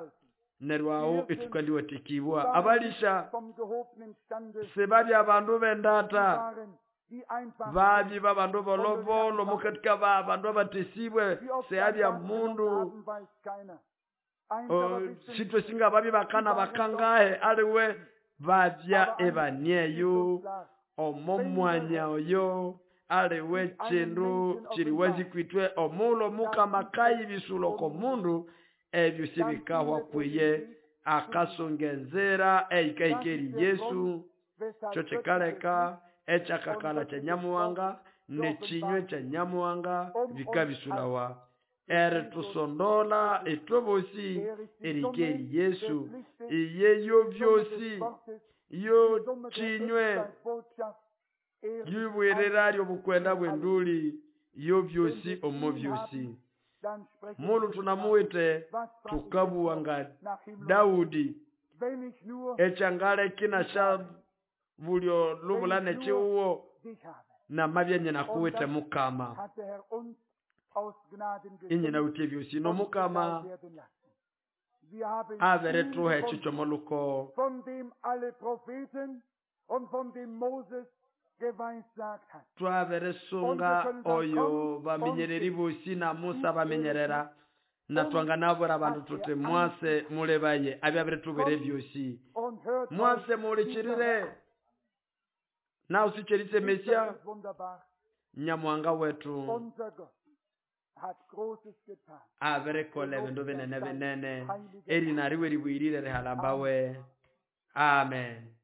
S2: Neryo aho
S1: Wir sind
S2: ĩtũkandĩwatikibwa
S1: waren
S2: abalisha
S1: nicht vom gehobenen Stande,
S2: sibabya abandu
S1: sie
S2: b'endata
S1: waren die einfachen
S2: babyi babandu
S1: unter den
S2: bolobolo
S1: Einfachen.
S2: mukatika ba bandu abatesibwe
S1: Wie oft sie ein
S2: seabya
S1: Bad genommen
S2: mundu
S1: haben, weiß keiner. Eins aber wissen
S2: sitwe
S1: wir,
S2: singa babyi
S1: sie
S2: bakana
S1: waren dort.
S2: bakangahe aliwe babya
S1: Aber eins ist
S2: ebanieyo
S1: uns klar,
S2: omo
S1: wenn der
S2: mwanya
S1: Herr
S2: oyo aliwe
S1: sich einem
S2: kindu
S1: Menschen
S2: kiri
S1: offenbart,
S2: wazikwitwe omulo
S1: dann
S2: mukama
S1: ist es
S2: kayibisula oko
S1: unmöglich.
S2: mundu ebyo
S1: Dann
S2: sibikahwa
S1: findet er den
S2: kwiye
S1: Weg zu ihm.
S2: akasunga enzira
S1: Das
S2: eyikahika
S1: ist
S2: eri
S1: der
S2: Yesu
S1: Grund, weshalb
S2: kyo
S1: göttliches
S2: kikaleka
S1: Licht und
S2: ekyakakala kya
S1: göttliches Wort
S2: Nyamuhanga n'ekinywe
S1: geoffenbart
S2: kya
S1: ist,
S2: Nyamuhanga
S1: um uns als
S2: bikabisulawa
S1: durch Jesus
S2: eritusondola
S1: zu erlösen.
S2: ithwe bosi
S1: Er ist die
S2: erika
S1: Summe
S2: eri Yesu
S1: des Lichtes,
S2: iye yo
S1: die Summe des
S2: byosi
S1: Wortes,
S2: yo
S1: die Summe der
S2: kinywe
S1: Endzeitbotschaft. Er ist
S2: yibwirira
S1: alles
S2: ly'obukwenda
S1: in allem.
S2: bw'enduli yo
S1: Wenn
S2: byosi
S1: wir
S2: omo
S1: ihn
S2: byosi
S1: haben, dann sprechen
S2: mulu
S1: wir Sprache.
S2: tunamuwite
S1: Was frage ich jetzt
S2: tukabuwa
S1: noch
S2: nga
S1: nach Himmel und Erde?
S2: Daudi
S1: Wenn ich nur
S2: ekyangaleki
S1: dich habe,
S2: nasha bulyo
S1: wenn
S2: lubula
S1: ich nur
S2: n'ekiwuwo
S1: dich habe.
S2: namabya
S1: Und
S2: nyinakuwite
S1: das
S2: mukama
S1: hat der Herr uns aus Gnaden geschenkt
S2: inyinawithe ebyosi
S1: und zuteil
S2: nomukama
S1: werden lassen. Wir haben ihn
S2: abirithuha
S1: gefunden,
S2: ekyo
S1: von dem alle Propheten und von dem Moses geweissagt hat. Und wir
S2: twabirisunga
S1: können sagen,
S2: oyo
S1: kommt und
S2: baminyereri
S1: seht,
S2: bosi na Musa
S1: dies ist es
S2: baminyerera
S1: nicht.
S2: na
S1: Uns
S2: twanganabwira abandu
S1: hat
S2: tuti
S1: er
S2: mwase
S1: angetan.
S2: mulebaye abyabiritubwira
S1: Kommt
S2: ebyosi
S1: und hört euch
S2: mwase
S1: die Sache
S2: mulikirire
S1: an.
S2: nawe sicherise
S1: Ist das
S2: Mesiya
S1: nicht wunderbar?
S2: Nyamuhanga wetu
S1: Unser Gott hat Großes getan.
S2: abirikola ebindu
S1: Gelobt sei
S2: binene
S1: sein
S2: binene
S1: heiliger
S2: erina
S1: Name.
S2: riwe ribwirire
S1: Amen.
S2: rihalambawe amen.